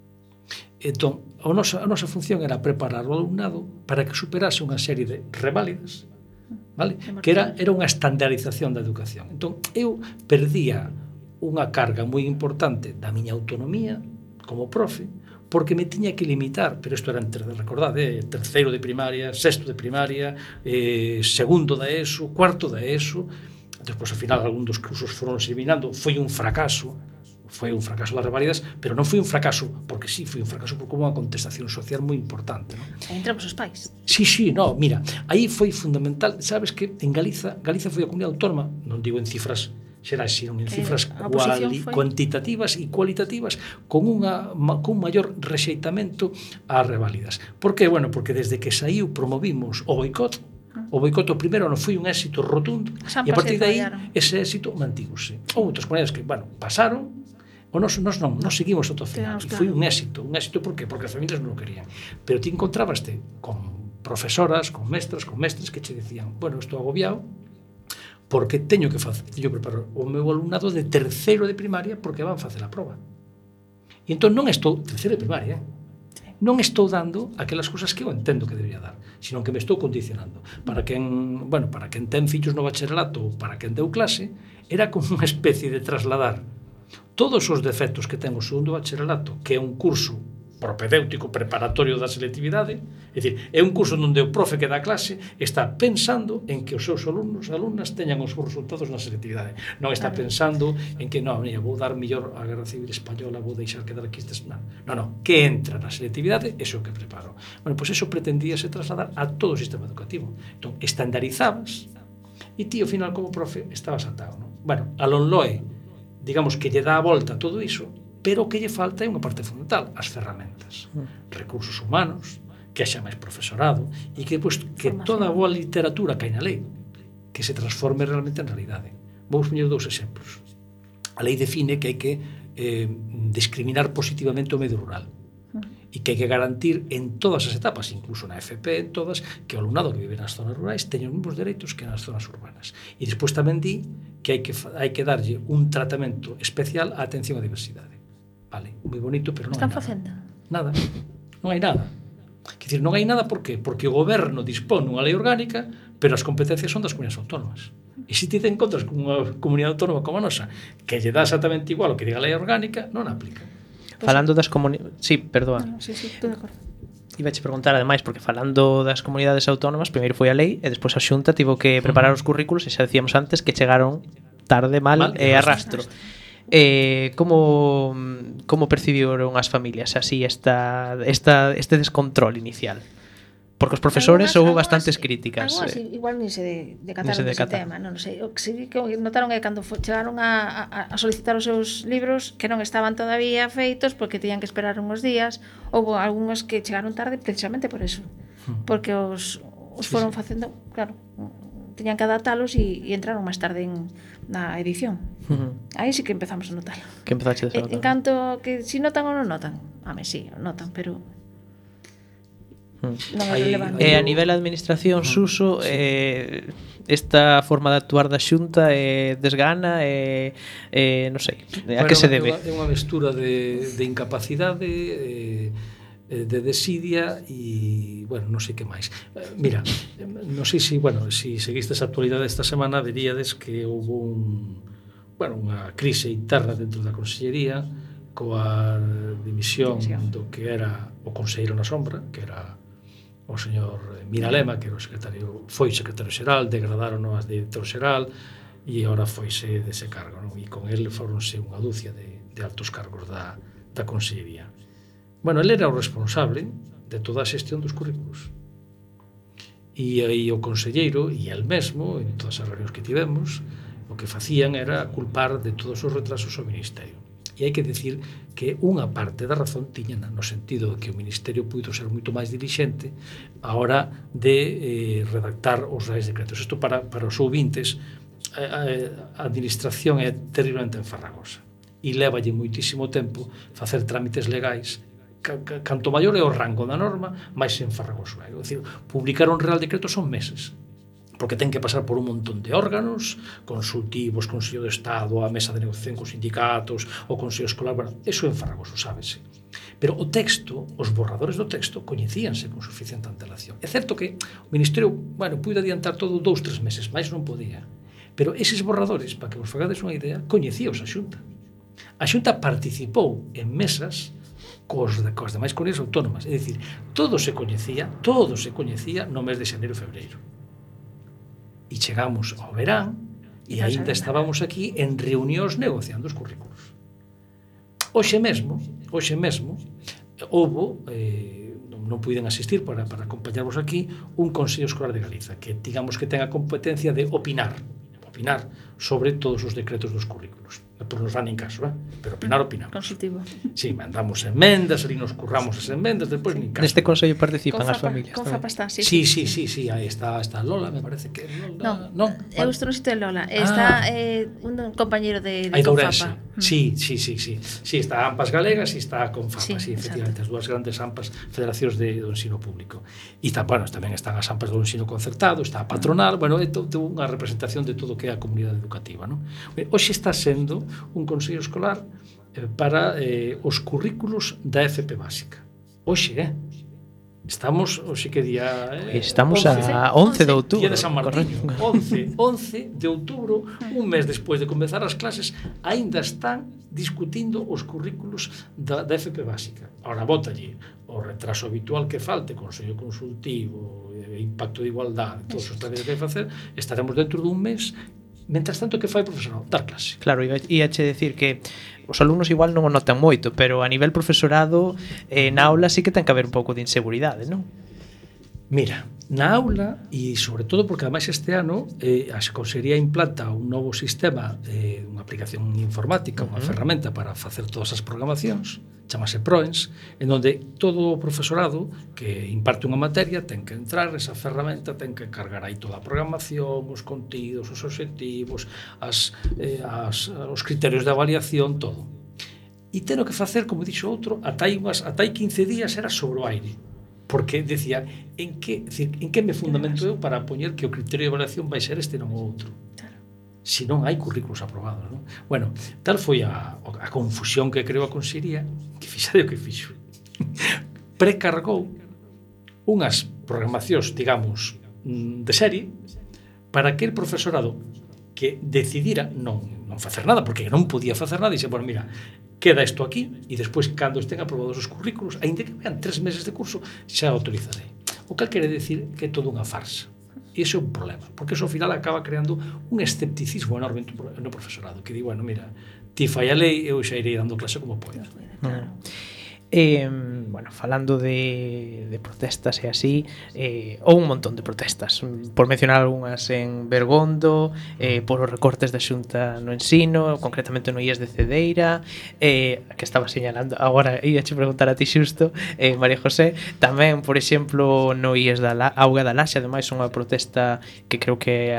Entón, a nosa función era preparar o alumnado para que superase unha serie de reválidas, vale? Que era unha estandarización da educación. Entón, eu perdía unha carga moi importante da miña autonomía como profe, porque me tiña que limitar, pero isto era, recordade, terceiro de primaria, sexto de primaria, segundo da ESO, cuarto da ESO. Despois, ao final, algún dos cursos foron eliminando. Foi un fracaso das reválidas, pero non foi un fracaso porque sí, foi un fracaso porque houve unha contestación social moi importante, non? Entramos os pais. Sí, no, mira, aí foi fundamental, sabes que en Galiza foi a comunidade autónoma, non digo en cifras xerais, sino en cifras cuantitativas e cualitativas con un maior rexeitamento ás reválidas. Por que? Bueno, porque desde que saiu promovimos o boicot. O boicot primeiro non foi un éxito rotundo e a partir de aí ese éxito mantígose. Outras comunidades que, bueno, pasaron, ou nós seguimos ata o final. E foi un éxito. Un éxito por qué? Porque as familias non o querían. Pero ti encontrabaste con profesoras, con mestres que che dicían, bueno, estou agobiado porque teño que preparar o meu alumnado de terceiro de primaria porque van facer a proba. E entón non estou terceiro de primaria, non estou dando aquelas cousas que eu entendo que debería dar, sino que me estou condicionando. Para quen ten fillos no bacharelato ou para quen deu clase, era como unha especie de trasladar todos os defectos que ten o segundo bacharelato, que é un curso propedéutico preparatorio da selectividade, é dicir, é un curso onde o profe que dá clase está pensando en que os seus alumnos e alumnas teñan os seus resultados na selectividade. Non está pensando en que, non, vou dar mellor a Guerra Civil Española, vou deixar quedar aquí estes... Non, que entra na selectividade, iso que preparo. Bueno, pois iso pretendíase trasladar a todo o sistema educativo. Entón, estandarizabas e ti, ao final, como profe, estabas atado, non? Bueno, a LOE, digamos que lle dá a volta a todo iso, pero o que lle falta é unha parte fundamental, as ferramentas, recursos humanos, que haxa máis profesorado e que depois que toda a boa literatura que hai na lei que se transforme realmente en realidade. Vou poñer dous exemplos. A lei define que hai que discriminar positivamente o medio rural e que hai que garantir en todas as etapas, incluso na FP, en todas, que o alumnado que vive nas zonas rurais teña os mesmos dereitos que nas zonas urbanas. E despois tamén di que hai que darlle un tratamento especial á atención á diversidade. Vale, moi bonito, pero non Están hai facendo? Nada. Non hai nada. Quer dizer, non hai nada, por qué? Porque o goberno dispón unha lei orgánica, pero as competencias son das comunidades autónomas. E se ti te encontras con unha comunidade autónoma como a nosa, que lle dá exactamente igual o que diga a lei orgánica, non aplica. Falando das comunidades... Sí, perdoa. Sí, estou de acordo. Ibache preguntar, ademais, porque falando das comunidades autónomas, primeiro foi a lei e despois a Xunta tivo que preparar os currículos e xa decíamos antes que chegaron tarde, mal e arrastro. Como percibiron as familias así este descontrol inicial? Porque os profesores houve bastantes críticas. Algunhas igual ni se decataron ese tema, non sei. O que sí que notaron é cando chegaron a solicitar os seus libros que non estaban todavía feitos porque tenían que esperar unhos días. Houve algunhas que chegaron tarde precisamente por eso. Porque os foron facendo, claro, tenían que adaptalos e entraron máis tarde na edición. Aí sí que empezamos a notar. Que empezaste a notar. En canto que si notan ou non notan. Sí, notan, pero non é relevante. A nivel de administración, Suso, esta forma de actuar da Xunta desgana, non sei, a que se debe? É unha mestura de incapacidade, de desidia e, bueno, non sei que máis. Mira, non sei se, bueno, se seguistes a actualidade esta semana, veríades que houve unha crise interna dentro da Consellería coa dimisión do que era o conselleiro na sombra, que era o señor Miralema, que era foi secretario xeral, degradaron a director xeral e agora foise dese cargo, non? E con ele foronse unha dúcia de altos cargos da Consellería. Bueno, ele era o responsable de toda a xestión dos currículos. E o conselleiro e el mesmo, en todas as reunións que tivemos, o que facían era culpar de todos os retrasos ao Ministerio. E hai que decir que unha parte da razón tiña no sentido de que o Ministerio puido ser moito máis dilixente a hora de redactar os reais decretos. Isto para os ouvintes, a administración é terriblemente enfarragosa e lévalle moitísimo tempo facer trámites legais. Canto maior é o rango da norma, máis enfarragoso é. É dicir, publicar un real decreto son meses, porque ten que pasar por un montón de órganos consultivos, Consello de Estado, a mesa de negociación cos sindicatos, o Consello Escolar, bueno, eso é enfarragoso, sábese. Pero o texto, os borradores do texto, coñecíanse con suficiente antelación. É certo que o Ministerio, bueno, puido adiantar todo 2-3 meses, máis non podía. Pero eses borradores, para que vos fagades unha idea, coñecíos a Xunta. A Xunta participou en mesas cos demais comunidades autónomas. É dicir, todo se coñecía no mes de xaneiro e febreiro. E chegamos ao verán e aínda estábamos aquí en reunións negociando os currículos. Hoxe mesmo houbo, non puiden asistir para acompañarvos aquí, un Consello Escolar de Galiza que digamos que ten a competencia de opinar sobre todos os decretos dos currículos. Por nos dan en caso, pero opinamos. Consultivo. Sí, mandamos enmendas, ali nos curramos as enmendas, despois nin caso. Neste consello participan as familias. Con FAPA está, sí. Sí, aí está Lola, me parece que Lola. Non, eu estou no sitio de Lola. Está un compañeiro de Confapa. FAPA. Sí, está a AMPAs Galegas e está a Confapa, sí, efectivamente, as dúas grandes AMPAs, federacións do ensino público. E tamén están as AMPAs do ensino concertado, está a patronal, bueno, é unha representación de todo o que é a comunidade educativa, non? Hoxe está sendo un consello escolar para os currículos da FP básica. Hoxe, estamos, hoxe que día... Estamos a 11 de outubro. Día de San Martiño. 11 de outubro, un mes despois de comezar as clases, aínda están discutindo os currículos da FP básica. Ahora, bótalle o retraso habitual que falte, consello consultivo, impacto de igualdade, todos os tareas que hai que facer, estaremos dentro dun mes. Mentras tanto, que fai o profesorado? Dar clase. Claro, ia che decir que os alumnos igual non o notan moito, pero a nivel profesorado, na aula sí que ten que haber un pouco de inseguridade, non? Mira, na aula, e sobre todo porque ademais este ano a Consellería implanta un novo sistema, unha aplicación informática, unha ferramenta para facer todas as programacións, chamase PROENS, en onde todo o profesorado que imparte unha materia ten que entrar esa ferramenta, ten que cargar aí toda a programación, os contidos, os obxectivos, os criterios de avaliación, todo. E ten que facer, como dixo outro, ata hai 15 días era sobre o aire, porque decía, en que me fundamento eu para poñer que o criterio de avaliación vai ser este non o outro? Si non hai currículos aprobados, non? Bueno, tal foi a confusión que creou a Consellería, que fixade o que fixo. Precargou unhas programacións, digamos, de serie, para que el profesorado que decidira non facer nada, porque non podía facer nada, e dixe, bueno, mira, queda isto aquí, e despois, cando estén aprobados os currículos, aínda que vean 3 meses de curso, xa autorizarei. O que quere decir que é toda unha farsa. E iso é un problema, porque iso ao final acaba creando un escepticismo enorme no profesorado, que di, bueno, mira, ti fai a lei, eu xa irei dando clase como poida. Claro. Bueno, falando de protestas e así, ou un montón de protestas, por mencionar algunhas en Bergondo, por os recortes da Xunta no ensino, concretamente no IES de Cedeira, que estaba señalando, agora ia che preguntar a ti xusto, María José, tamén, por exemplo, no IES da Auga da Laxe, ademais unha protesta que creo que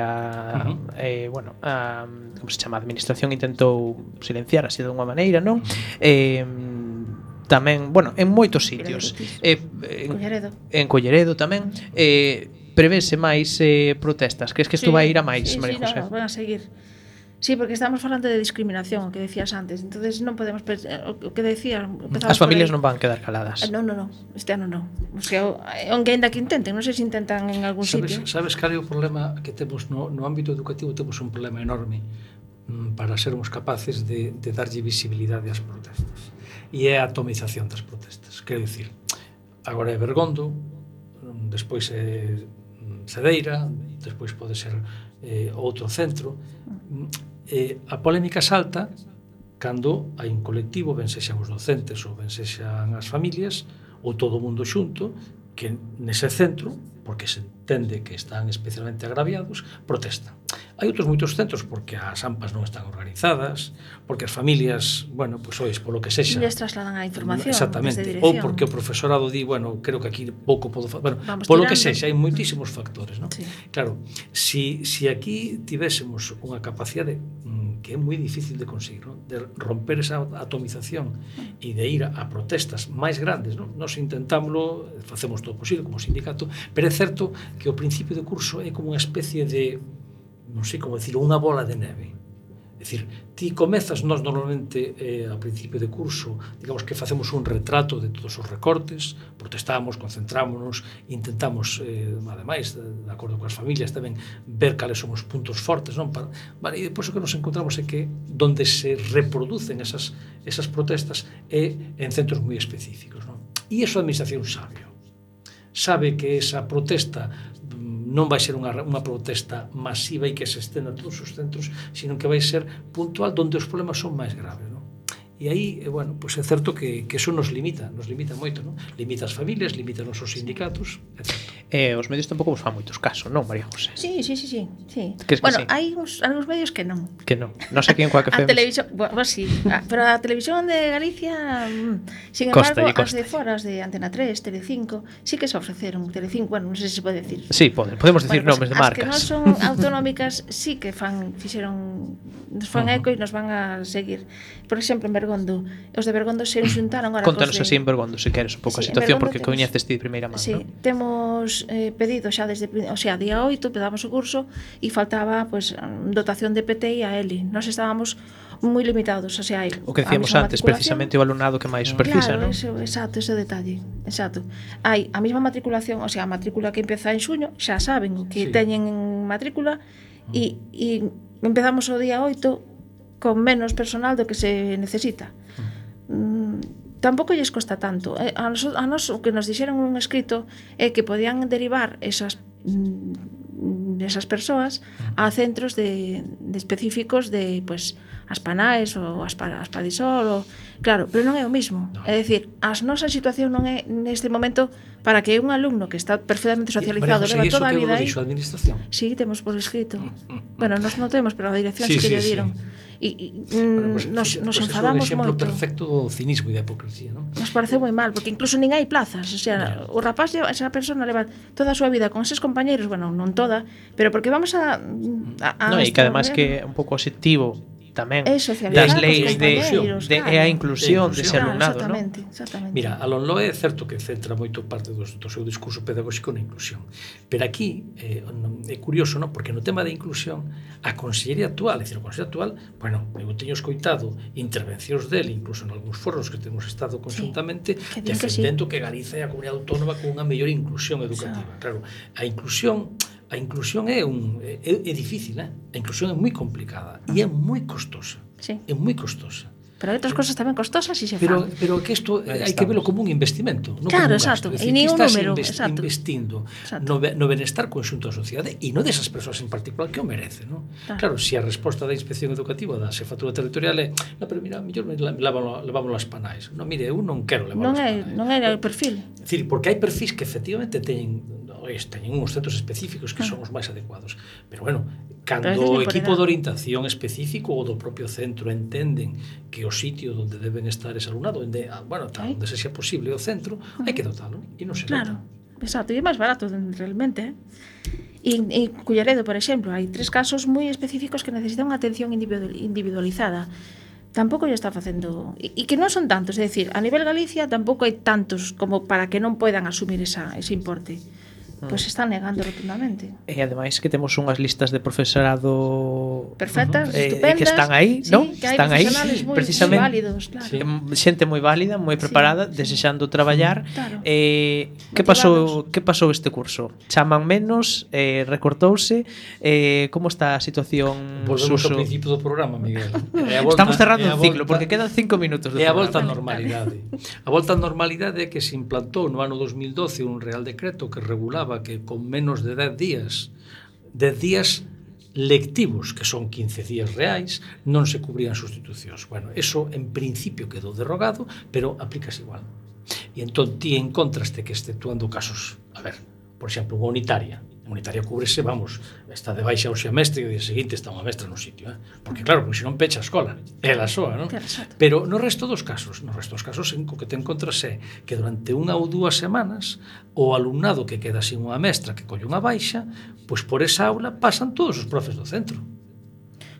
bueno, como se chama, a administración intentou silenciar así de alguma maneira, non? Tamén, bueno, en moitos sitios. En Colleredo tamén. Prevese máis protestas? Que isto vai ir a máis, María José? No, van a seguir. Sí, porque estamos falando de discriminación, o que decías antes. Entonces non podemos o que decías, as familias non van quedar caladas. No, este ano non. O sea, aunque ainda que intenten, non sei se intentan en algún sitio. Sabes cal é o problema que temos no ámbito educativo? Temos un problema enorme para sermos capaces de darlle visibilidade ás protestas. E é a atomización das protestas. Quero dicir, agora é Bergondo, despois é Cedeira, despois pode ser outro centro. A polémica salta cando hai un colectivo, ben sexan os docentes ou ben sexan as familias, ou todo o mundo xunto, que nese centro, porque se entende que están especialmente agraviados, protestan. Hai outros moitos centros porque as AMPAs non están organizadas, porque as familias, bueno, pois ois, polo que sexa, les trasladan a información, exactamente, ou porque o profesorado di, bueno, creo que aquí pouco podo facer, bueno, polo que sexa, hai moitísimos factores, non? Sí. Claro, si aquí tivésemos unha capacidade que é moi difícil de conseguir, non? De romper esa atomización e de ir a protestas máis grandes, non? Nos intentámoslo, facemos todo posible como sindicato, pero é certo que o principio de curso é como unha especie de, non sei como decirlo, unha bola de neve. É dicir, ti comezas, nós normalmente ao principio de curso, digamos que facemos un retrato de todos os recortes, protestamos, concentrámonos, intentamos, ademais, de acordo coas familias, tamén ver cales son os puntos fortes, non? E depois o que nos encontramos é que donde se reproducen esas protestas é en centros moi específicos, non? E iso a administración sabe que esa protesta non vai ser unha protesta masiva e que se estenda a todos os centros, sino que vai ser puntual onde os problemas son máis graves, non? E aí, bueno, pois é certo que eso nos limita moito, non? Limita as familias, limita os nosos sindicatos, etc. Os medios tampouco vos fan moitos casos, non, María José? Sí. Bueno, hai algúns medios que non. Que non. Non sei aquí en Coac FM. A televisión, bueno, sí, pero a televisión de Galicia, sin embargo, as de fora, as de Antena 3, Telecinco, sí que se ofreceron. Telecinco, bueno, non sei se pode decir. Sí, podemos decir nomes de marcas. As que non son autonómicas sí que nos fan eco e nos van a seguir. Por exemplo, en Bergondo, os de Bergondo se xuntaron agora. Contanos así en Bergondo, se queres un pouco a situación, porque coñeces ti de primeira man, sí, non? Temos pedido xa desde, o sea, día 8 pedamos o curso e faltaba pues dotación de PTI a Eli. Nós estábamos moi limitados, o sea, o que decíamos antes, precisamente o alumnado que máis superfisa, claro, non? Exacto, ese detalle, exacto. Hai a mesma matriculación, o sea, a matrícula que empeza en xuño, xa saben o que teñen en matrícula e empezamos o día 8 con menos personal do que se necesita. Tampouco lles costa tanto. A nos o que nos dixeron un escrito é que podían derivar esas persoas a centros de específicos de, pues, as Panaes ou as Padisol, claro, pero non é o mismo. É dicir, a nosa situación non é neste momento para que un alumno que está perfectamente socializado leva toda a vida aí. Iso a administración? Sí, temos por escrito. Bueno, nos non temos, pero a dirección sí que lle dieron. Nos enfadamos moito. É un exemplo perfecto do cinismo e da hipocresía, non? Nos parece moi mal, porque incluso nin hai plazas. O sea, o rapaz, esa persona leva toda a súa vida con eses compañeiros, bueno, non toda, pero porque vamos a non, e que además que é un pouco obxectivo tamén das leis de a inclusión dese alumnado, non? Exactamente. Mira, a LONLOE é certo que centra moito parte do seu discurso pedagóxico na inclusión, pero aquí é curioso, non? Porque no tema da inclusión a Consellería actual, é dicir, a Consellería actual, bueno, eu teño escoitado intervencións dele, incluso en algúns foros que temos estado conjuntamente defendendo que Galiza é a comunidade autónoma con unha mellor inclusión educativa. Claro, a inclusión é difícil, a inclusión é moi complicada e é moi costosa. Sí. É moi costosa. Pero hai outras cosas tamén costosas e se Pero fan. que isto hai que velo como un investimento, non Claro, como un gasto. exacto. É E dicir, nin que un estás número, exacto. investindo Exacto. no benestar conxunto da sociedade e non desas persoas en particular que o merecen, non? Claro, se a resposta da inspección educativa da xefatura territorial é no, pero mira, mellor levámoslo as panais. Non, mire, eu non quero levámoslo as panais. Non é o perfil. É dicir, porque hai perfis que efectivamente teñen uns centros específicos que son os máis adecuados. Pero bueno, cando o equipo de orientación específico ou do propio centro entenden que o sitio onde deben estar ese alumnado, onde se xa posible o centro, hai que dotalo, e non se dota. Claro, exacto, e é máis barato realmente, E Culleredo, por exemplo, hai 3 casos moi específicos que necesitan unha atención individualizada. Tampouco lle está facendo, e que non son tantos, é dicir, a nivel Galicia tampouco hai tantos como para que non poidan asumir ese importe. Pois están negando rotundamente. E ademais que temos unhas listas de profesorado perfectas, estupendas, que están aí, sí, non? Que hai están aí precisamente moi válidos, claro. Xente moi válida, moi preparada, desexando traballar. Claro. Que pasou este curso? Chaman menos, recortouse, como está a situación? Volvemos ao principio do programa, Miguel. Estamos cerrando un ciclo, porque quedan 5 minutos do programa. É a volta á normalidade. A volta á normalidade é que se implantou no ano 2012 un Real Decreto que regulaba que con menos de 10 días lectivos, que son 15 días reais, non se cubrían sustitucións. Bueno, eso en principio quedou derrogado, pero aplicas igual. E entón ti encontraste que exceptuando casos, a ver, por exemplo, unha unitaria cúbrese, vamos, está de baixa o semestre e o día seguinte está unha mestra no sitio, porque claro, porque senón pecha a escola, ela soa, non? Pero no resto dos casos en que te encontras é que durante 1 ou 2 semanas o alumnado que queda sin unha mestra que colle unha baixa, pois por esa aula pasan todos os profes do centro.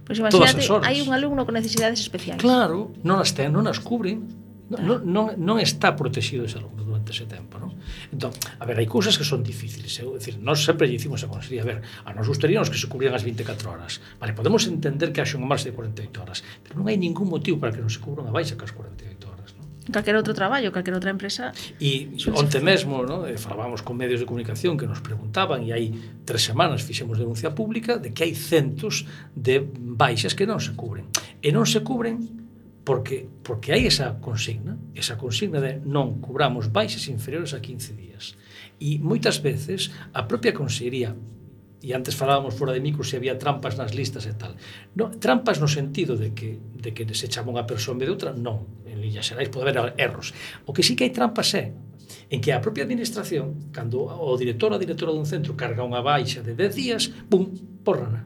Pois imagínate, hai un alumno con necesidades especiais. Claro, non as cubren. Non está protegido ese alumno durante ese tempo, non? Entón, a ver, hai cousas que son difíciles, é dicir, nós sempre lle dicimos a Consellería, a ver, a nos gustaríamos que se cubrieran as 24 horas. Vale, podemos entender que haxe unha marxa de 48 horas, pero non hai ningún motivo para que non se cubra unha baixa que as 48 horas, non? Calquera outro traballo, calquera outra empresa. E onte mesmo, non, falábamos con medios de comunicación que nos preguntaban, e hai 3 semanas fixemos denuncia pública de que hai centos de baixas que non se cubren. E non se cubren porque hai esa consigna de non cubramos baixas inferiores a 15 días. E moitas veces a propia Consellería, e antes falábamos fora de micro se había trampas nas listas e tal. No, trampas no sentido de que se chama unha persoa en vez de outra, non. En líneas xerais pode haber erros. O que sí que hai trampas é en que a propia administración, cando o director ou a directora dun centro carga unha baixa de 10 días, pum, bórrana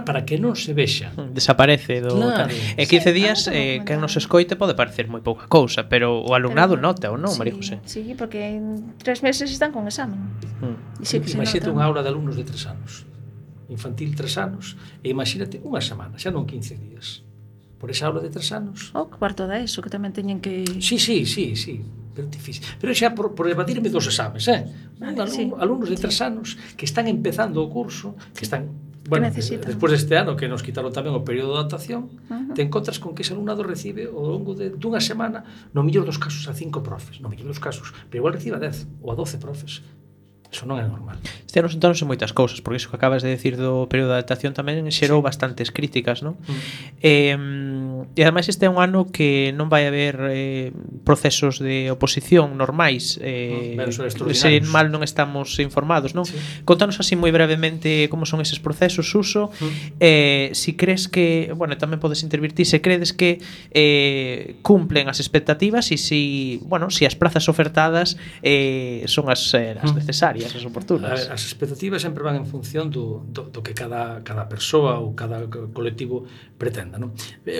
para que non se vexa. Desaparece do... Claro. E 15 días, que nos escoite pode parecer moi pouca cousa, pero o alumnado nota ou non, María José? Sí, porque en 3 meses están con examen. Imagínate unha aula de alumnos de 3 anos, infantil 3 anos, e imagínate unha semana, xa non 15 días. Por esa aula de 3 anos. O cuarto da ESO, que tamén teñen que... Sí, pero difícil. Pero xa por evadirme dos exames, alumnos de 3 anos que están empezando o curso, que están... Bueno, despois deste ano que nos quitaron tamén o período de adaptación, te encontras con que ese alumnado recibe ao longo dunha semana, no mellor dos casos a 5 profes, no mellor dos casos, pero igual recibe a 10 ou a 12 profes. Eso non é normal. Este ano sentáronse moitas cousas, porque iso que acabas de decir do período de adaptación tamén xerou bastantes críticas, non? E ademais este é un ano que non vai haber procesos de oposición normais, se mal non estamos informados, non? Contanos así moi brevemente como son eses procesos, Suso, si crees que, bueno, tamén podes intervirtir, se credes que cumplen as expectativas e si as prazas ofertadas son as necesarias, as oportunas. As expectativas sempre van en función do que cada persoa ou cada colectivo pretenda, non?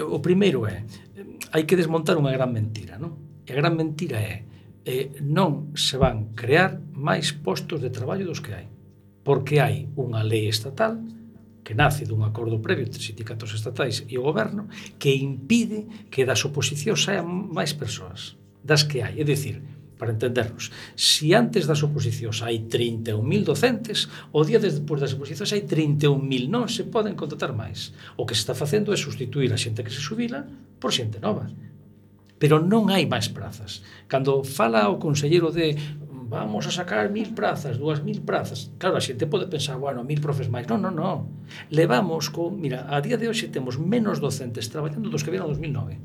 O primeiro é, hai que desmontar unha gran mentira, non? E a gran mentira é non se van crear máis postos de traballo dos que hai, porque hai unha lei estatal que nace dun acordo previo entre sindicatos estatais e o goberno que impide que das oposicións saian máis persoas das que hai, é dicir, para entendernos, se antes das oposicións hai 31.000 docentes, o día despois das oposicións hai 31.000, non se poden contratar máis. O que se está facendo é sustituir a xente que se xubila por xente nova. Pero non hai máis prazas. Cando fala o conselleiro de vamos a sacar 1000 prazas, 2000 prazas. Claro, a xente pode pensar, bueno, 1000 profes máis. Non. Levamos mira, a día de hoxe temos menos docentes traballando dos que vieron en 2009.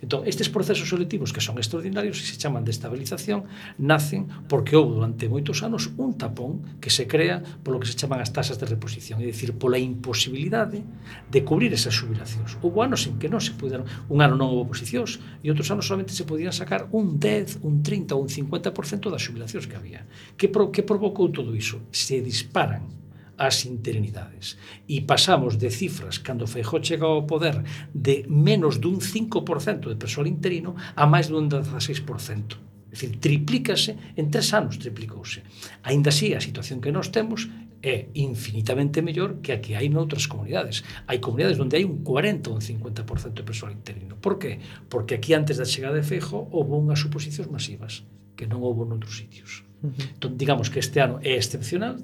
Entón, estes procesos selectivos que son extraordinarios e se chaman de estabilización nacen porque houve durante moitos anos un tapón que se crea polo que se chaman as tasas de reposición, é dicir, pola imposibilidade de cubrir esas xubilacións. Houve anos en que non se puderon, un ano non houve oposicións e outros anos solamente se podían sacar un 10, un 30 ou un 50% das xubilacións que había. Que provocou todo iso? Se disparan as interinidades e pasamos de cifras cando Feijóo chega ao poder de menos dun 5% de persoal interino a máis dun 16%. É dicir, triplícase, en 3 anos triplicouse. Aínda así, a situación que nós temos é infinitamente mellor que a que hai noutras comunidades. Hai comunidades onde hai un 40 ou un 50% de persoal interino. Por qué? Porque aquí antes da chegada de Feijóo houve unhas suposicións masivas que non houve noutros sitios. Entón, digamos que este ano é excepcional,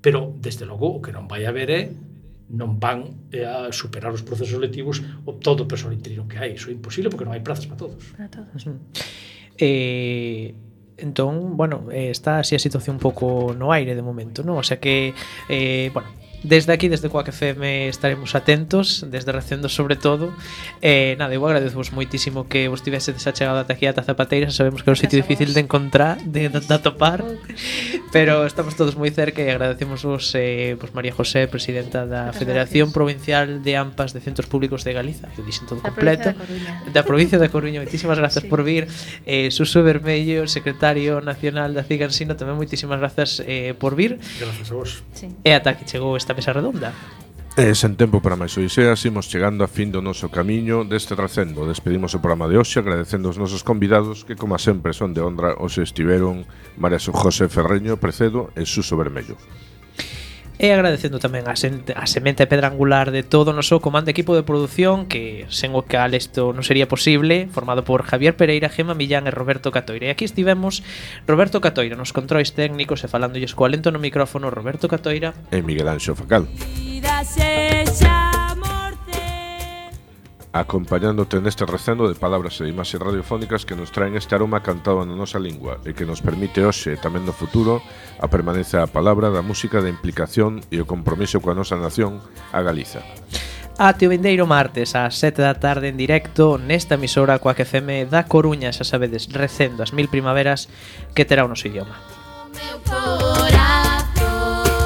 pero, desde logo, o que non vai haber é non van a superar os procesos selectivos o todo o persoal interino que hai. Iso é imposible porque non hai prazas para todos. Para todos. Entón, bueno, está así a situación un pouco no aire de momento, non? O sea que, bueno, desde aquí, desde Quack FM, estaremos atentos, desde Recendo sobre todo. Nada, eu agradezvos moitísimo que vos tivese desachegado ata aquí a Zapateira. Sabemos que é un sitio difícil de encontrar, de atopar, pero estamos todos moi cerca e agradecemos vos, María José, presidenta da Federación Provincial de AMPAs de Centros Públicos de Galiza, que dixen todo completo, da provincia da Coruña. Moitísimas grazas por vir. Suso Vermello, secretario nacional da Cigansino, tamén moitísimas grazas por vir. Grazas a vos. E ata aquí chegou esta mesa redonda. Sen tempo para máis odiseas, imos chegando a fin do noso camiño deste Recendo. Despedimos o programa de hoxe agradecendo aos nosos convidados que, como sempre, son de honra. Hoxe estiveron María José Ferreño Precedo e Suso Vermello. E agradecendo tamén a semente pedra angular de todo o noso comando equipo de produción, que sen o cal isto non sería posible, formado por Javier Pereira, Gema Millán e Roberto Catoira. E aquí estivemos Roberto Catoira nos controis técnicos e falándolles co alento no micrófono Roberto Catoira e Miguel Anxo Facal, acompañándote neste recendo de palabras e imaxes radiofónicas que nos traen este aroma cantado na nosa lingua e que nos permite hoxe e tamén no futuro a permanencia da palabra, da música, da implicación e o compromiso coa nosa nación, a Galiza. Ate o vindeiro martes ás 7 da tarde en directo nesta emisora Quack FM da Coruña, xa sabedes, Recendo as 1000 primaveras que terá o noso idioma.